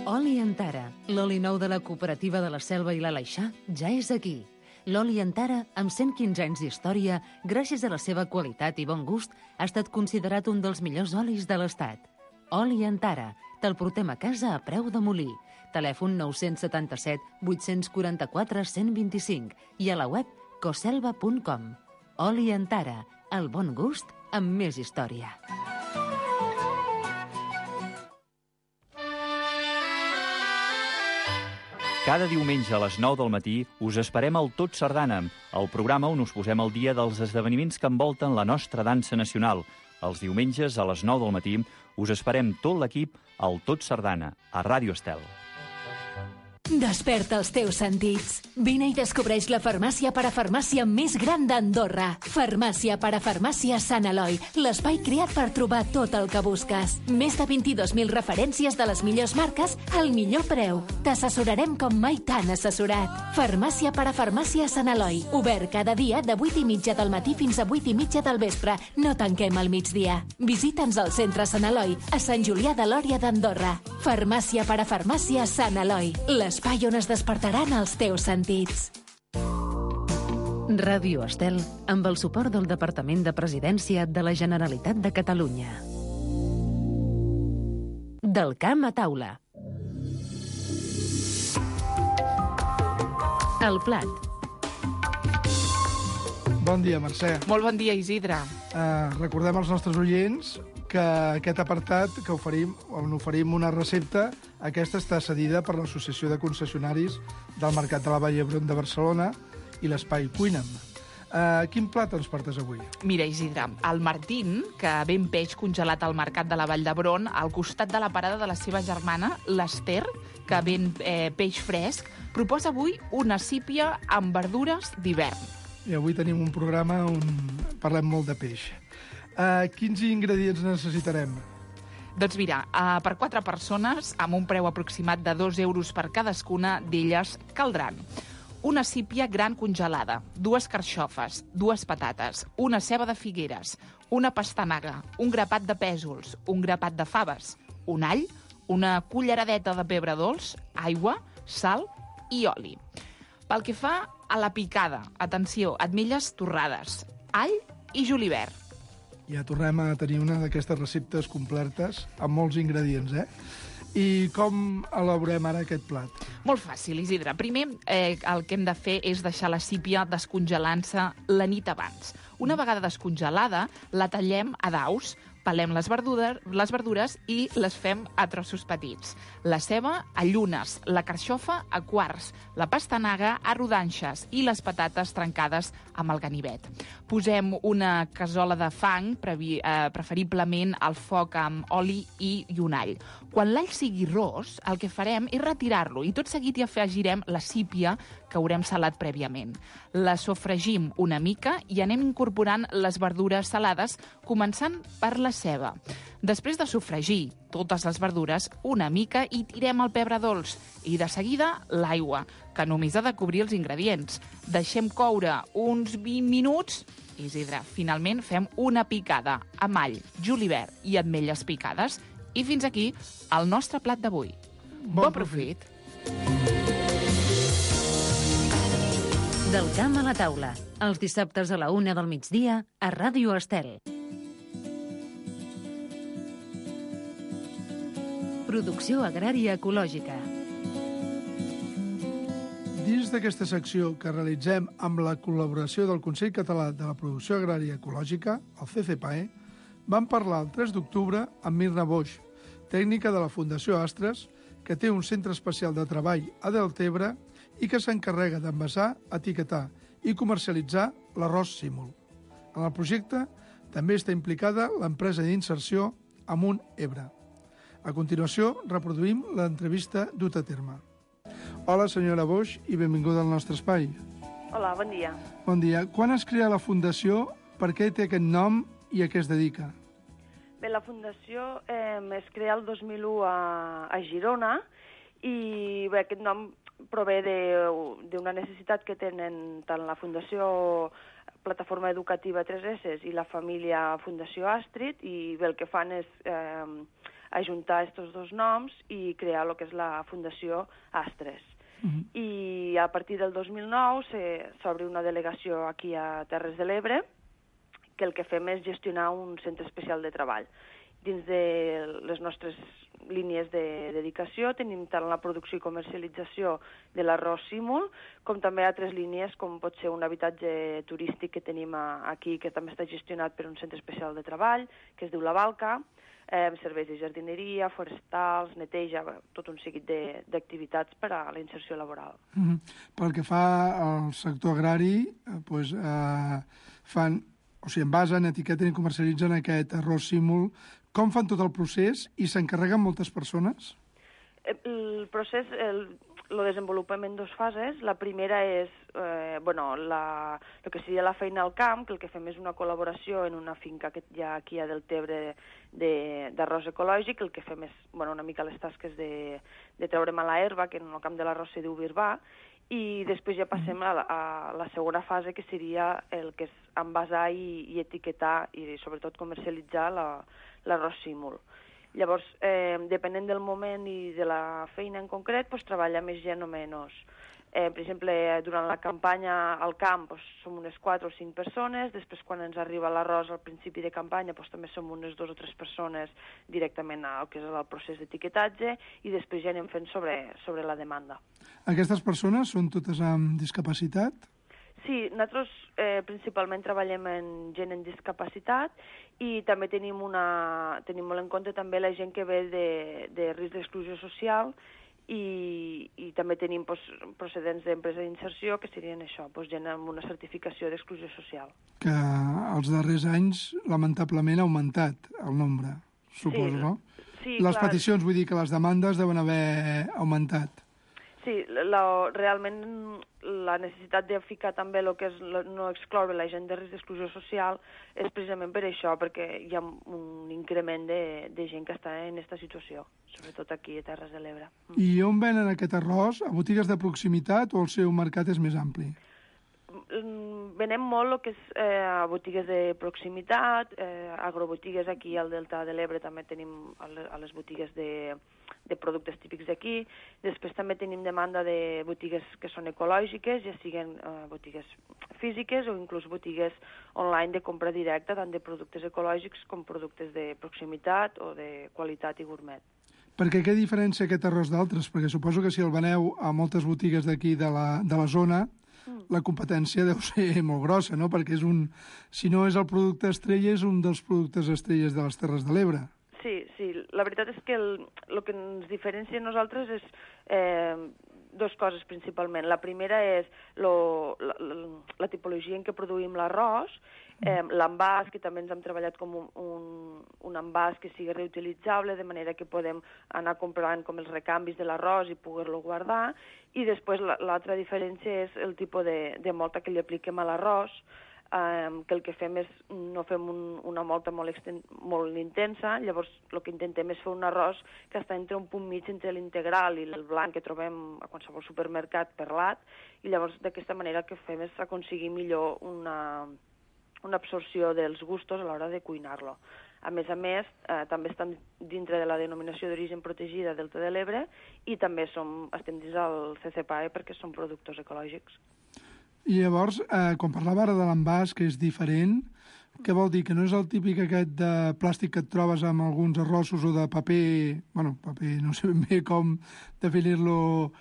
Oli Antara, l'oli nou de la cooperativa de la Selva i l'Aleixar, ja és aquí. L'oli Antara, amb cent quinze anys d'història, gràcies a la seva qualitat i bon gust, ha estat considerat un dels millors olis de l'Estat. Oli Antara, te'l portem a casa a preu de molí. Telèfon nou set set, vuit quatre quatre, cent vint-i-cinc i a la web coselva punt com. Oli Antara, el bon gust amb més història. Cada diumenge a les nou del matí us esperem al Tot Sardana, el programa on us posem al dia dels esdeveniments que envolten la nostra dansa nacional. Els diumenges a les nou del matí us esperem tot l'equip al Tot Sardana, a Ràdio Estel. Desperta els teus sentits. Vine i descobreix la farmàcia parafarmàcia més gran d'Andorra. Farmàcia parafarmàcia Sant Eloi, l'espai creat per trobar tot el que busques. Més de vint-i-dos mil referències de les millors marques al millor preu. T'assessorarem com mai t'han assessorat. Farmàcia parafarmàcia Sant Eloi, obert cada dia de vuit i mitja del matí fins a vuit i mitja del vespre. No tanquem al migdia. Visita'ns al centre Sant Eloi, a Sant Julià de Lòria d'Andorra. Farmàcia parafarmàcia Sant Eloi, l'espai on es despertaran els teus sentits. Ràdio Estel, amb el suport del Departament de Presidència de la Generalitat de Catalunya. Del camp a taula. El plat. Bon dia, Mercè. Molt bon dia, Isidre. Uh, recordem als nostres oients que aquest apartat que oferim, on oferim una recepta, aquesta està cedida per l'Associació de Concessionaris del Mercat de la Vall d'Hebron de Barcelona i l'Espai Cuina'm. Uh, quin plat ens portes avui? Mira, Isidre, el Martín, que ven peix congelat al Mercat de la Vall d'Hebron, al costat de la parada de la seva germana, l'Ester, que ven eh, peix fresc, proposa avui una sípia amb verdures d'hivern. I avui tenim un programa on parlem molt de peix. Uh, quins ingredients necessitarem? Doncs mira, uh, per quatre persones, amb un preu aproximat de dos euros per cadascuna d'elles, caldran una sípia gran congelada, dues carxofes, dues patates, una ceba de figueres, una pastanaga, un grapat de pèsols, un grapat de faves, un all, una culleradeta de pebre dolç, aigua, sal i oli. Pel que fa a la picada, atenció, ametlles torrades, all i julivert. Ja tornem a tenir una d'aquestes receptes completes amb molts ingredients, eh? I com elaborem ara aquest plat? Molt fàcil, Isidre. Primer, eh, el que hem de fer és deixar la sípia descongelant-se la nit abans. Una vegada descongelada, la tallem a daus, pelem les verdures, les verdures i les fem a trossos petits. La ceba a llunes, la carxofa a quarts, la pastanaga a rodanxes i les patates trencades amb el ganivet. Posem una cassola de fang, previ, eh, preferiblement al foc amb oli i, i un all. Quan l'all sigui ros, el que farem és retirar-lo i tot seguit hi afegirem la sípia que haurem salat prèviament. La sofregim una mica i anem incorporant les verdures salades, començant per la ceba. Després de sofregir totes les verdures una mica i tirem el pebre dolç i de seguida l'aigua, que només ha de cobrir els ingredients. Deixem coure uns vint minuts. Isidre, finalment fem una picada amb all, julivert i ametlles picades. I fins aquí el nostre plat d'avui. Bon, bon profit! Del camp a la taula, els dissabtes a la una del migdia a Ràdio Estel. Producció agrària ecològica. Dins d'aquesta secció que realitzem amb la col·laboració del Consell Català de la Producció Agrària Ecològica, el C C P A E, vam parlar el tres d'octubre amb Mirna Boix, tècnica de la Fundació Astres, que té un centre especial de treball a Deltebre i que s'encarrega d'envasar, etiquetar i comercialitzar l'arròs símul. En el projecte també està implicada l'empresa d'inserció Amunt Ebre. A continuació, reproduïm l'entrevista duta a terme. Hola, senyora Boix, i benvinguda al nostre espai. Hola, bon dia. Bon dia. Quan es crea la Fundació, per què té aquest nom i a què es dedica? Bé, la Fundació eh, es crea el dos mil u a, a Girona i bé, aquest nom prové d'una necessitat que tenen tant la Fundació Plataforma Educativa tres esse i la família Fundació Astrid, i bé, el que fan és eh, ajuntar aquests dos noms i crear el que és la Fundació Astres. Uh-huh. I a partir del dos mil nou s'obre una delegació aquí a Terres de l'Ebre, que el que fem és gestionar un centre especial de treball. Dins de les nostres línies de dedicació tenim tant la producció i comercialització de l'arròs símul, com també altres línies, com pot ser un habitatge turístic que tenim aquí, que també està gestionat per un centre especial de treball, que es diu La Balca, eh, serveis de jardineria, forestals, neteja, tot un seguit d'activitats per a la inserció laboral. Mm-hmm. Pel que fa al sector agrari, eh, pues, eh, fan... O sigui, envasen, etiqueten i comercialitzen aquest arròs símul. Com fan tot el procés i s'encarreguen moltes persones? El procés, el, el desenvolupament en dues fases. La primera és eh, bueno, la, el que seria la feina al camp, que el que fem és una col·laboració en una finca que hi ha aquí a Deltebre d'arròs ecològic. El que fem és bueno, una mica les tasques de, de treure mala herba, que en el camp de l'arròs se diu birbà, i després ja passem a la, a la segona fase, que seria el que és envasar i, i etiquetar i sobretot comercialitzar l'arròs símul. Llavors, eh, depenent del moment i de la feina en concret, pues, treballa més gent o menys. Eh, per exemple, durant la campanya al camp pues, som unes quatre o cinc persones, després quan ens arriba l'arròs al principi de campanya pues, també som unes dues o tres persones directament al que és el procés d'etiquetatge, i després ja anem fent sobre, sobre la demanda. Aquestes persones són totes amb discapacitat? Sí, nosaltres eh, principalment treballem en gent amb discapacitat i també tenim, una, tenim molt en compte també la gent que ve de, de risc d'exclusió social, i, i també tenim pues, procedents d'empresa d'inserció, que serien això, pues, gent amb una certificació d'exclusió social. Que els darrers anys, lamentablement, ha augmentat el nombre, suposo, sí, no? Sí, les clar. peticions, vull dir que les demandes deuen haver augmentat. Sí, Sí, la, realment la necessitat de ficar també el que és la, no excloure la gent de risc d'exclusió social és precisament per això, perquè hi ha un increment de, de gent que està en aquesta situació, sobretot aquí a Terres de l'Ebre. I on venen aquest arròs? A botigues de proximitat o el seu mercat és més ampli? Venem molt el que és eh, a botigues de proximitat, eh, agrobotigues aquí al Delta de l'Ebre també tenim a les botigues de, de productes típics d'aquí. Després també tenim demanda de botigues que són ecològiques, ja siguin eh, botigues físiques o inclús botigues online de compra directa, tant de productes ecològics com productes de proximitat o de qualitat i gourmet. Perquè què diferència aquest arròs d'altres? Perquè suposo que si el veneu a moltes botigues d'aquí de, la, de la zona, la competència deu ser molt grossa, no? Perquè és un, si no és el producte estrella, és un dels productes estrelles de les Terres de l'Ebre. Sí, sí. La veritat és que el, el que ens diferencia a nosaltres és eh, dos coses principalment. La primera és lo, la, la, la tipologia en què produïm l'arròs, eh, l'envàs, que també ens hem treballat com un, un, un envàs que sigui reutilitzable, de manera que podem anar comprant com els recanvis de l'arròs i poder-lo guardar, i després l'altra diferència és el tipus de, de molta que li apliquem a l'arròs, eh, que el que fem és no fem un, una molta molt, exten molt intensa, llavors el que intentem és fer un arròs que està entre un punt mig entre l'integral i el blanc que trobem a qualsevol supermercat perlat, i llavors d'aquesta manera el que fem és aconseguir millor una, una absorció dels gustos a l'hora de cuinar-lo. A més a més, eh, també estan dintre de la denominació d'origen protegida Delta de l'Ebre i també som, estem dins del C C P A E perquè són productes ecològics. I llavors, eh, quan parlava ara de l'envàs, que és diferent, què vol dir? Que no és el típic aquest de plàstic que et trobes amb alguns arrossos o de paper, bueno, paper, no sé ben bé com definir-lo,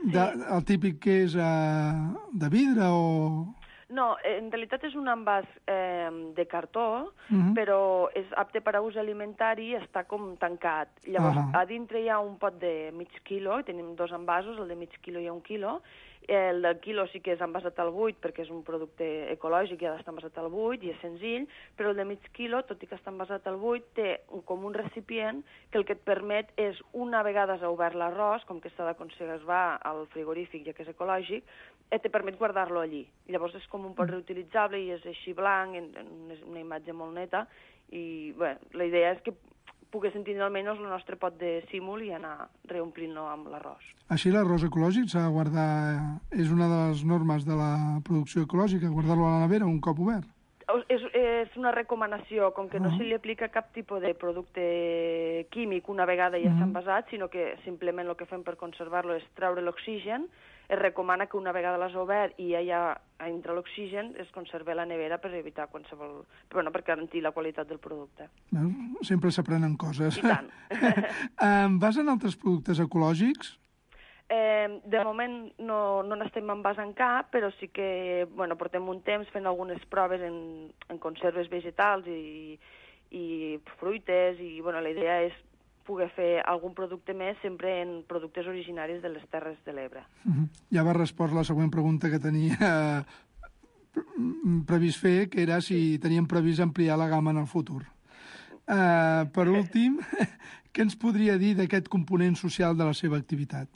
de, el típic que és eh, de vidre o... No, en realitat és un envàs eh, de cartó, Mhm. però és apte per a ús alimentari i està com tancat. Llavors, Ahà. a dintre hi ha un pot de mig quilo, i tenim dos envasos, el de mig quilo i un quilo. El del quilo sí que és envasat al buit, perquè és un producte ecològic i ha d'estar envasat al buit, i és senzill, però el de mig quilo, tot i que està envasat al buit, té un, com un recipient que el que et permet és, una vegada has obert l'arròs, com que s'ha de conservar al frigorífic, ja que és ecològic, et te permet guardar-lo allí. Llavors és com un pot reutilitzable i és així blanc, en, en una imatge molt neta, i bé, la idea és que poguéssim tindre almenys el nostre pot de símul i anar reomplint-lo amb l'arròs. Així l'arròs ecològic s'ha de guardar, és una de les normes de la producció ecològica, guardar-lo a la nevera un cop obert. És, és una recomanació, com que no Ah. se li aplica cap tipus de producte químic una vegada ja s'ha Mhm. envasat, sinó que simplement el que fem per conservar-lo és treure l'oxigen. Es recomana que una vegada l'has obert i ja hi ha entre l'oxigen es conservi a la nevera per evitar qualsevol... Bueno, per garantir la qualitat del producte. Veus? Sempre s'aprenen coses. I tant. Em vas en altres productes ecològics? Eh, de moment no, no n'estem envasant cap, però sí que bueno, portem un temps fent algunes proves en, en conserves vegetals i, i fruites, i bueno, la idea és poder fer algun producte més sempre en productes originaris de les Terres de l'Ebre. Mhm. Ja va respost la següent pregunta que tenia previst fer, que era si teníem previst ampliar la gamma en el futur. Uh, per últim, què ens podria dir d'aquest component social de la seva activitat?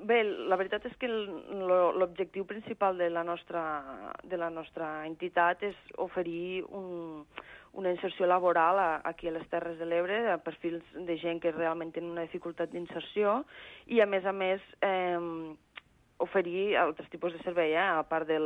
Bé, la veritat és que l'objectiu principal de la nostra, de la nostra entitat és oferir un, una inserció laboral a, aquí a les Terres de l'Ebre, a perfils de gent que realment tenen una dificultat d'inserció, i a més a més eh, oferir altres tipus de servei, eh? A part de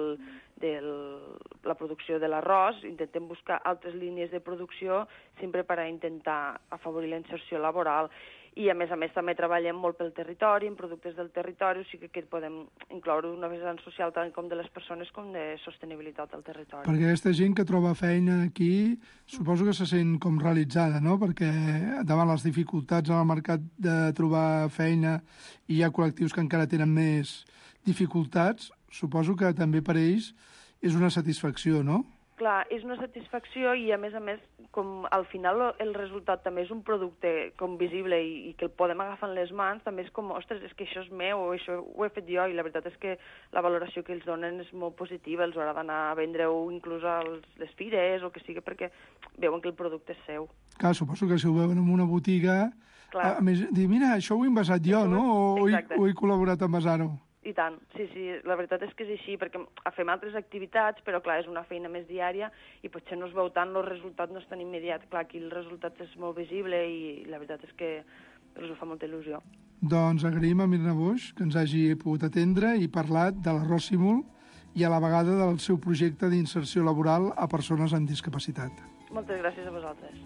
la producció de l'arròs, intentem buscar altres línies de producció sempre per a intentar afavorir la inserció laboral. I, a més a més, també treballem molt pel territori, en productes del territori, o sigui que podem incloure una vessant social tant com de les persones com de sostenibilitat al territori. Perquè aquesta gent que troba feina aquí, suposo que se sent com realitzada, no? Perquè davant les dificultats al mercat de trobar feina i hi ha col·lectius que encara tenen més dificultats, suposo que també per ells és una satisfacció, no? Clar, és una satisfacció i, a més a més, com al final el resultat també és un producte com visible i, i que el podem agafar en les mans, també és com, ostres, és que això és meu, o això ho he fet jo, i la veritat és que la valoració que ells donen és molt positiva, els haurà d'anar a vendre-ho inclús a les fires o que sigui, perquè veuen que el producte és seu. Clar, suposo que si ho veuen en una botiga Clar. A més, dir, mira, això ho he envasat jo, no? O, Exacte. o he col·laborat a envasar-ho. I tant, sí, sí, la veritat és que és així, perquè fem altres activitats, però clar, és una feina més diària i potser no es veu tant, el resultat no és tan immediat. Clar, aquí el resultat és molt visible i la veritat és que els fa molta il·lusió. Doncs agraïm a Mirna Boix que ens hagi pogut atendre i parlat de l'Arròs Simul i a la vegada del seu projecte d'inserció laboral a persones amb discapacitat. Moltes gràcies a vosaltres.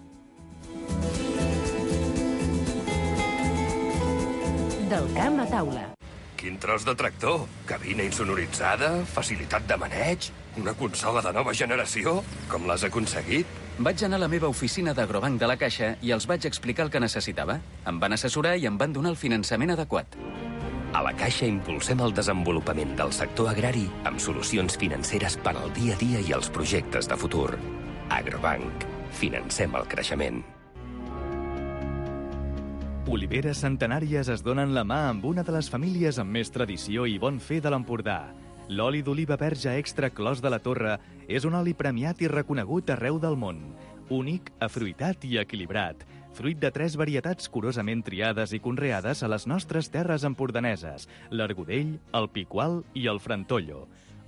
Del camp a taula. Quin tros de tractor! Cabina insonoritzada, facilitat de maneig, una consola de nova generació? Com l'has aconseguit? Vaig anar a la meva oficina d'Agrobanc de la Caixa i els vaig explicar el que necessitava. Em van assessorar i em van donar el finançament adequat. A la Caixa impulsem el desenvolupament del sector agrari amb solucions financeres per al dia a dia i els projectes de futur. Agrobanc. Financem el creixement. Oliveres centenàries es donen la mà amb una de les famílies amb més tradició i bon fer de l'Empordà. L'oli d'oliva verge extra Clos de la Torre és un oli premiat i reconegut arreu del món. Únic, afruitat i equilibrat. Fruit de tres varietats curosament triades i conreades a les nostres terres empordaneses, l'Argudell, el Picual i el Frantollo.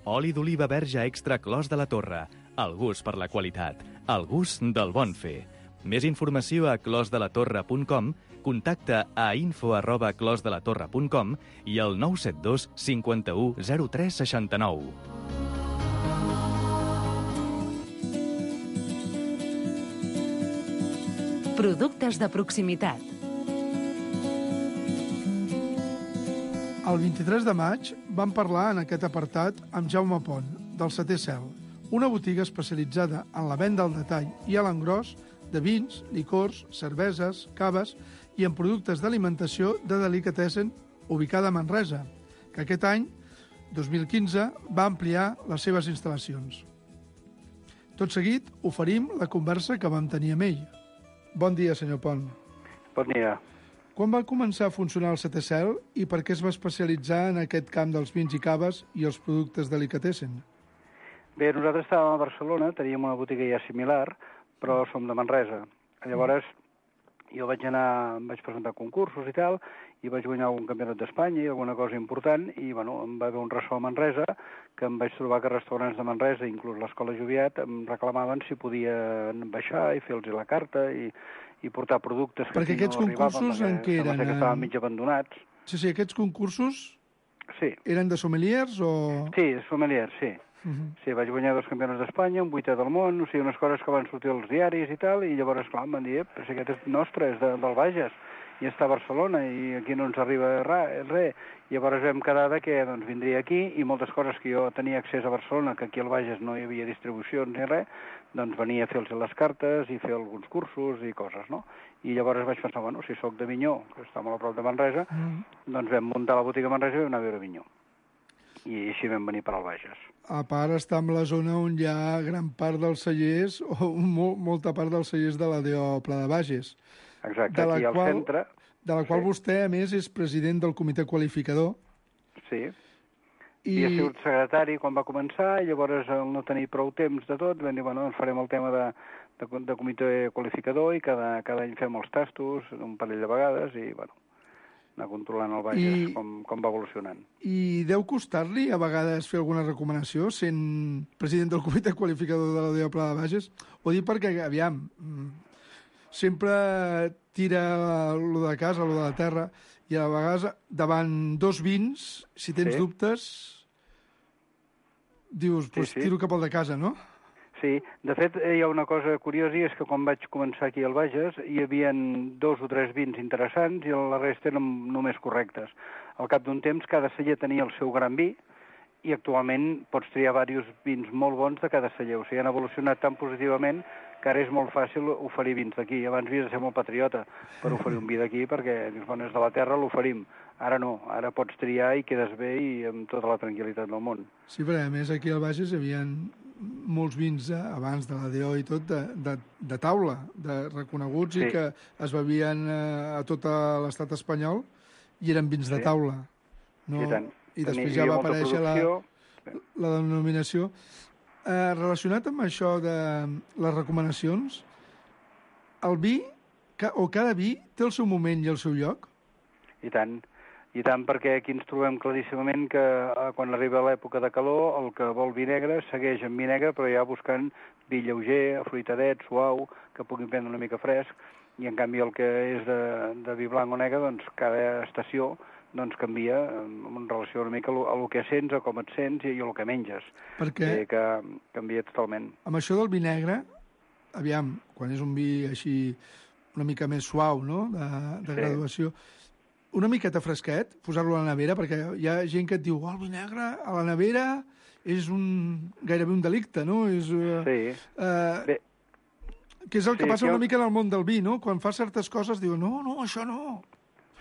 Oli d'oliva verge extra Clos de la Torre. El gust per la qualitat. El gust del bon fer. Més informació a clos de la torre punt com, contacta a info arroba clos de la torre punt com i al nou set dos cinquanta-u zero tres seixanta-nou. Productes de proximitat. El vint-i-tres de maig vam parlar en aquest apartat amb Jaume Pont, del Setè Cel, una botiga especialitzada en la venda al detall i a l'engròs de vins, licors, cerveses, caves i en productes d'alimentació de delicatessen ubicada a Manresa, que aquest any, dos mil quinze, va ampliar les seves instal·lacions. Tot seguit, oferim la conversa que vam tenir amb ell. Bon dia, senyor Pont. Bon dia. Quan va començar a funcionar el Setè Cel i per què es va especialitzar en aquest camp dels vins i caves i els productes delicatessen? Bé, nosaltres estàvem a Barcelona, teníem una botiga ja similar, però som de Manresa. Llavors, jo vaig anar, em vaig presentar concursos i tal, i vaig guanyar algun campionat d'Espanya i alguna cosa important, i bueno, em va haver un ressò a Manresa, que em vaig trobar que restaurants de Manresa, inclús l'Escola Joviat, em reclamaven si podien baixar i fer-los la carta i, i portar productes que perquè aquests no concursos arribaven, en què eren? que estaven mig abandonats. Sí, sí, aquests concursos sí. eren de sommeliers o...? Sí, sommeliers, sí. Uh -huh. Sí, vaig guanyar dos campionats d'Espanya, un vuitè del món, o sigui, unes coses que van sortir als diaris i tal, i llavors, clar, em van dir, però si aquest és nostre, és de, del Bages, i està a Barcelona, i aquí no ens arriba res. res. Llavors vam quedar de que doncs, vindria aquí, i moltes coses que jo tenia accés a Barcelona, que aquí al Bages no hi havia distribucions ni res, doncs venia a fer-los les cartes i fer alguns cursos i coses, no? I llavors vaig pensar, bueno, si sóc de Avinyó, que està molt a prop de Manresa, mm. doncs vam muntar la botiga a Manresa i vam anar a veure Avinyó. I així vam venir per al Bages. A part, està en la zona on hi ha gran part dels cellers, o mo molta part dels cellers de l'A D O Pla de Bages. Exacte, aquí al qual, centre. De la qual sí. vostè, a més, és president del comitè qualificador. Sí. I... I ha sigut secretari quan va començar, i llavors, al no tenir prou temps de tot, vam dir, bueno, doncs farem el tema de, de, de comitè qualificador, i cada, cada any fem els tastos, un parell de vegades, i, bueno, anar controlant el Bages, I... com, com va evolucionant. I deu costar-li a vegades fer alguna recomanació sent president del comitè qualificador de l'A D O Pla de Bages? Ho dic perquè, aviam, sempre tira lo de casa, lo de la terra, i a vegades davant dos vins, si tens sí. dubtes, dius, pues, sí, sí. tiro cap al de casa, no? Sí, de fet hi ha una cosa curiosa, i és que quan vaig començar aquí al Bages hi havia dos o tres vins interessants i la resta eren només correctes. Al cap d'un temps cada celler tenia el seu gran vi i actualment pots triar diversos vins molt bons de cada celler. O sigui, han evolucionat tan positivament que ara és molt fàcil oferir vins d'aquí. Abans havies de ser molt patriota per oferir un vi d'aquí perquè, dius, bueno, és de la terra, l'oferim. Ara no, ara pots triar i quedes bé i amb tota la tranquil·litat del món. Sí, però a més aquí al Bages hi havia molts vins, eh, abans de l'A D O i tot, de, de, de taula, de reconeguts, sí. i que es bevien eh, a tot l'estat espanyol i eren vins sí. de taula. No? I tant. I després ja va aparèixer la, la denominació. Eh, relacionat amb això de les recomanacions, el vi o cada vi té el seu moment i el seu lloc? I tant. I tant, perquè aquí ens trobem claríssimament que eh, quan arriba l'època de calor, el que vol vi negre segueix amb vi negre, però ja buscant vi lleuger, afruitadet, suau, que pugui prendre una mica fresc, i en canvi el que és de, de vi blanc o negre, doncs cada estació doncs canvia en relació una mica a el que sents, a com et sents i a el que menges. Perquè... Eh, que canvia totalment. Amb això del vi negre, aviam, quan és un vi així una mica més suau, no?, de, de Sí. graduació, una miqueta fresquet, posar-lo a la nevera, perquè hi ha gent que et diu, oh, el vi negre a la nevera és un, gairebé un delicte, no? És, uh, Sí. Uh, Bé. Que és el que Sí, passa jo- una mica en el món del vi, no? Quan fa certes coses diu, no, no, això no.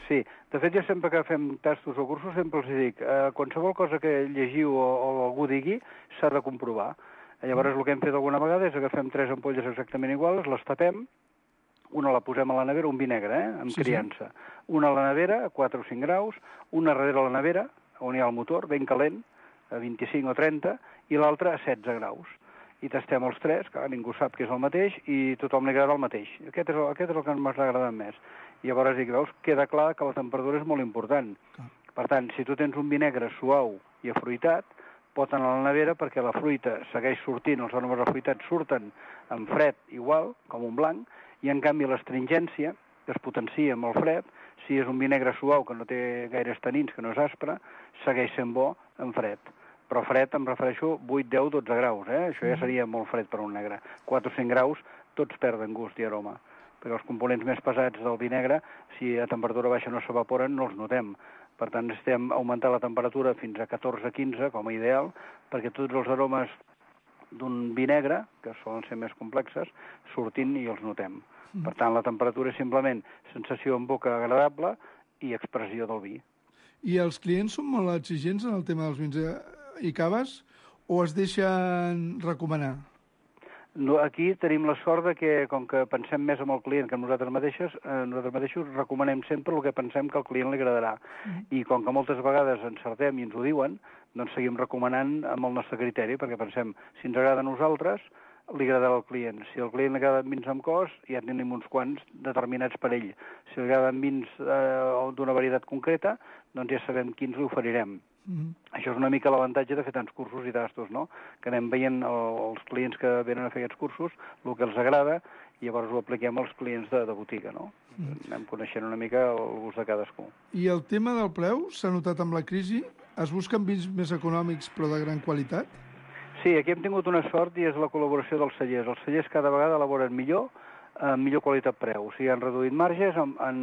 Sí, de fet jo sempre que fem tastos o cursos sempre els dic, eh, qualsevol cosa que llegiu o, o algú digui s'ha de comprovar. Llavors el que hem fet alguna vegada és agafem tres ampolles exactament iguals, les tapem, una la posem a la nevera, un vi negre, eh, amb Sí, sí. criança. Una a la nevera, a quatre o cinc graus, una darrere a la nevera, on hi ha el motor, ben calent, a vint-i-cinc o trenta, i l'altra a setze graus. I tastem els tres, que ningú sap que és el mateix, i tothom li agrada el mateix. Aquest és el, aquest és el que ens ha agradat més. I llavors, dic, veus, queda clar que la temperatura és molt important. Per tant, si tu tens un vi negre suau i afruitat, pot anar a la nevera perquè la fruita segueix sortint, els aromes afruitats surten en fred igual, com un blanc, i en canvi l'astringència, que es potencia amb el fred, si és un vi negre suau que no té gaires tanins, que no és aspre, segueix sent bo en fred. Però fred em refereixo vuit, deu, dotze graus, eh? Això ja seria molt fred per un negre. quatre o cinc graus, tots perden gust i aroma. Perquè els components més pesats del vi negre, si a temperatura baixa no s'evaporen, no els notem. Per tant, necessitem augmentar la temperatura fins a catorze quinze, com a ideal, perquè tots els aromes d'un vi negre, que solen ser més complexes, surtin i els notem. Per tant, la temperatura és simplement sensació en boca agradable i expressió del vi. I els clients són molt exigents en el tema dels vins i caves o es deixen recomanar? No, aquí tenim la sort de que, com que pensem més amb el client que amb nosaltres mateixos, eh, nosaltres mateixos recomanem sempre el que pensem que al client li agradarà. I com que moltes vegades encertem i ens ho diuen, doncs seguim recomanant amb el nostre criteri, perquè pensem, si ens agrada a nosaltres, li agradarà al client. Si al client li agraden vins amb cos, ja tenim uns quants determinats per ell. Si li agraden vins eh, d'una varietat concreta, doncs ja sabem quins li oferirem. Mm. Això és una mica l'avantatge de fer tants cursos i tastos, no? Que anem veient el, els clients que venen a fer aquests cursos, el que els agrada, i llavors ho apliquem als clients de, de botiga, no? Mm. Anem coneixent una mica el gust de cadascú. I el tema del preu s'ha notat amb la crisi? Es busquen vins més econòmics però de gran qualitat? Sí, aquí hem tingut una sort i és la col·laboració dels cellers. Els cellers cada vegada elaboren millor, amb millor qualitat-preu. O sigui, han reduït marges, han, han,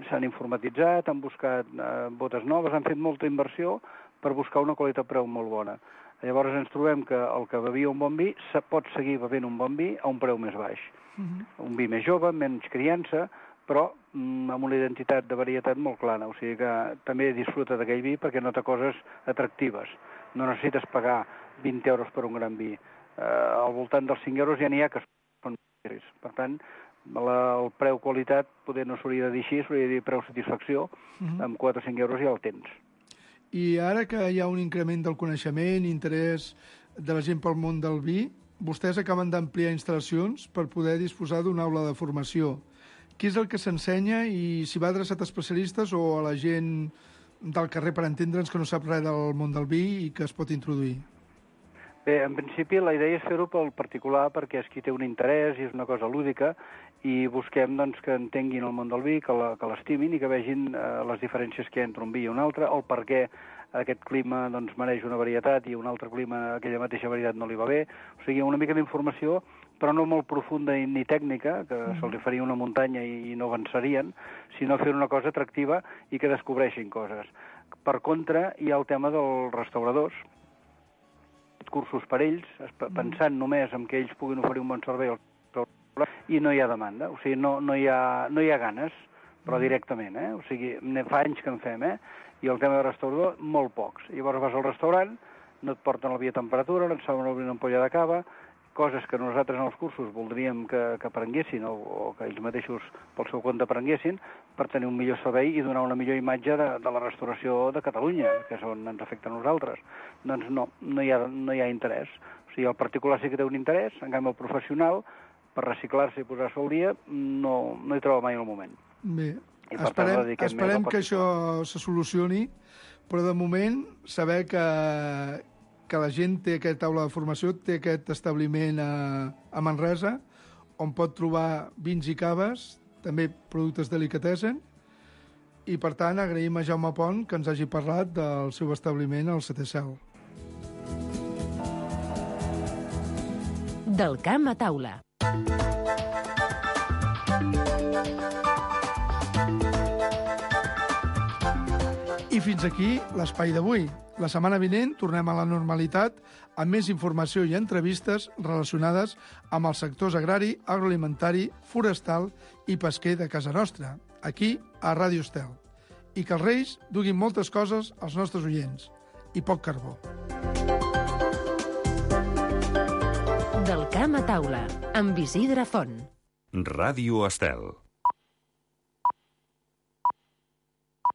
s'han informatitzat, han buscat eh, botes noves, han fet molta inversió per buscar una qualitat-preu molt bona. Llavors ens trobem que el que bevia un bon vi se pot seguir bevent un bon vi a un preu més baix. Mm-hmm. Un vi més jove, menys criança, però mm, amb una identitat de varietat molt clara. O sigui que també disfruta d'aquell vi perquè nota coses atractives. No necessites pagar vint euros per un gran vi. Eh, al voltant dels cinc euros ja n'hi ha que són més. Per tant, la, el preu-qualitat poder no s'hauria de dir així, s'hauria de dir preu-satisfacció, Mhm. amb quatre o cinc euros ja el tens. I ara que hi ha un increment del coneixement, interès de la gent pel món del vi, vostès acaben d'ampliar instal·lacions per poder disposar d'una aula de formació. Què és el que s'ensenya i si va adreçat a especialistes o a la gent del carrer, per entendre'ns, que no sap res del món del vi i que es pot introduir? Bé, en principi la idea és fer-ho pel particular perquè és qui té un interès i és una cosa lúdica i busquem doncs, que entenguin el món del vi, que la- que l'estimin i que vegin eh, les diferències que hi ha entre un vi i un altre, el per què aquest clima doncs, mereix una varietat i un altre clima, aquella mateixa varietat no li va bé. O sigui, una mica d'informació, però no molt profunda ni tècnica, que Mm. se'ls faria una muntanya i, i no avançarien, sinó fer una cosa atractiva i que descobreixin coses. Per contra, hi ha el tema dels restauradors, cursos per ells, esp- pensant només en que ells puguin oferir un bon servei al restaurant, i no hi ha demanda, o sigui, no, no, hi, ha, no hi ha ganes, però directament, eh? O sigui, ne- fa anys que en fem, eh? I el tema de restaurador, molt pocs. Llavors vas al restaurant, no et porten el vi a temperatura, no et saben obrir una ampolla de cava, coses que nosaltres en els cursos voldríem que, que aprenguessin o, o que ells mateixos pel seu compte aprenguessin per tenir un millor servei i donar una millor imatge de, de la restauració de Catalunya, que és on ens afecta a nosaltres. Doncs no, no hi ha, no hi ha interès. O sigui, el particular sí que té un interès, en canvi el professional per reciclar-se i posar-se al dia, no, no hi trobo mai el moment. Bé, I per esperem, tant, dediquem esperem més a que això se solucioni, però de moment saber que, que la gent té aquesta taula de formació, té aquest establiment a, a Manresa, on pot trobar vins i caves, també productes delicatessen, i per tant agraïm a Jaume Pont que ens hagi parlat del seu establiment al Setè Cel. Del camp a taula. I fins aquí l'espai d'avui. La setmana vinent tornem a la normalitat amb més informació i entrevistes relacionades amb els sectors agrari, agroalimentari, forestal i pesquer de casa nostra, aquí a Ràdio Estel. I que els Reis duguin moltes coses als nostres oients i poc carbó. Del camp a taula, amb Isidre Font. Ràdio Estel.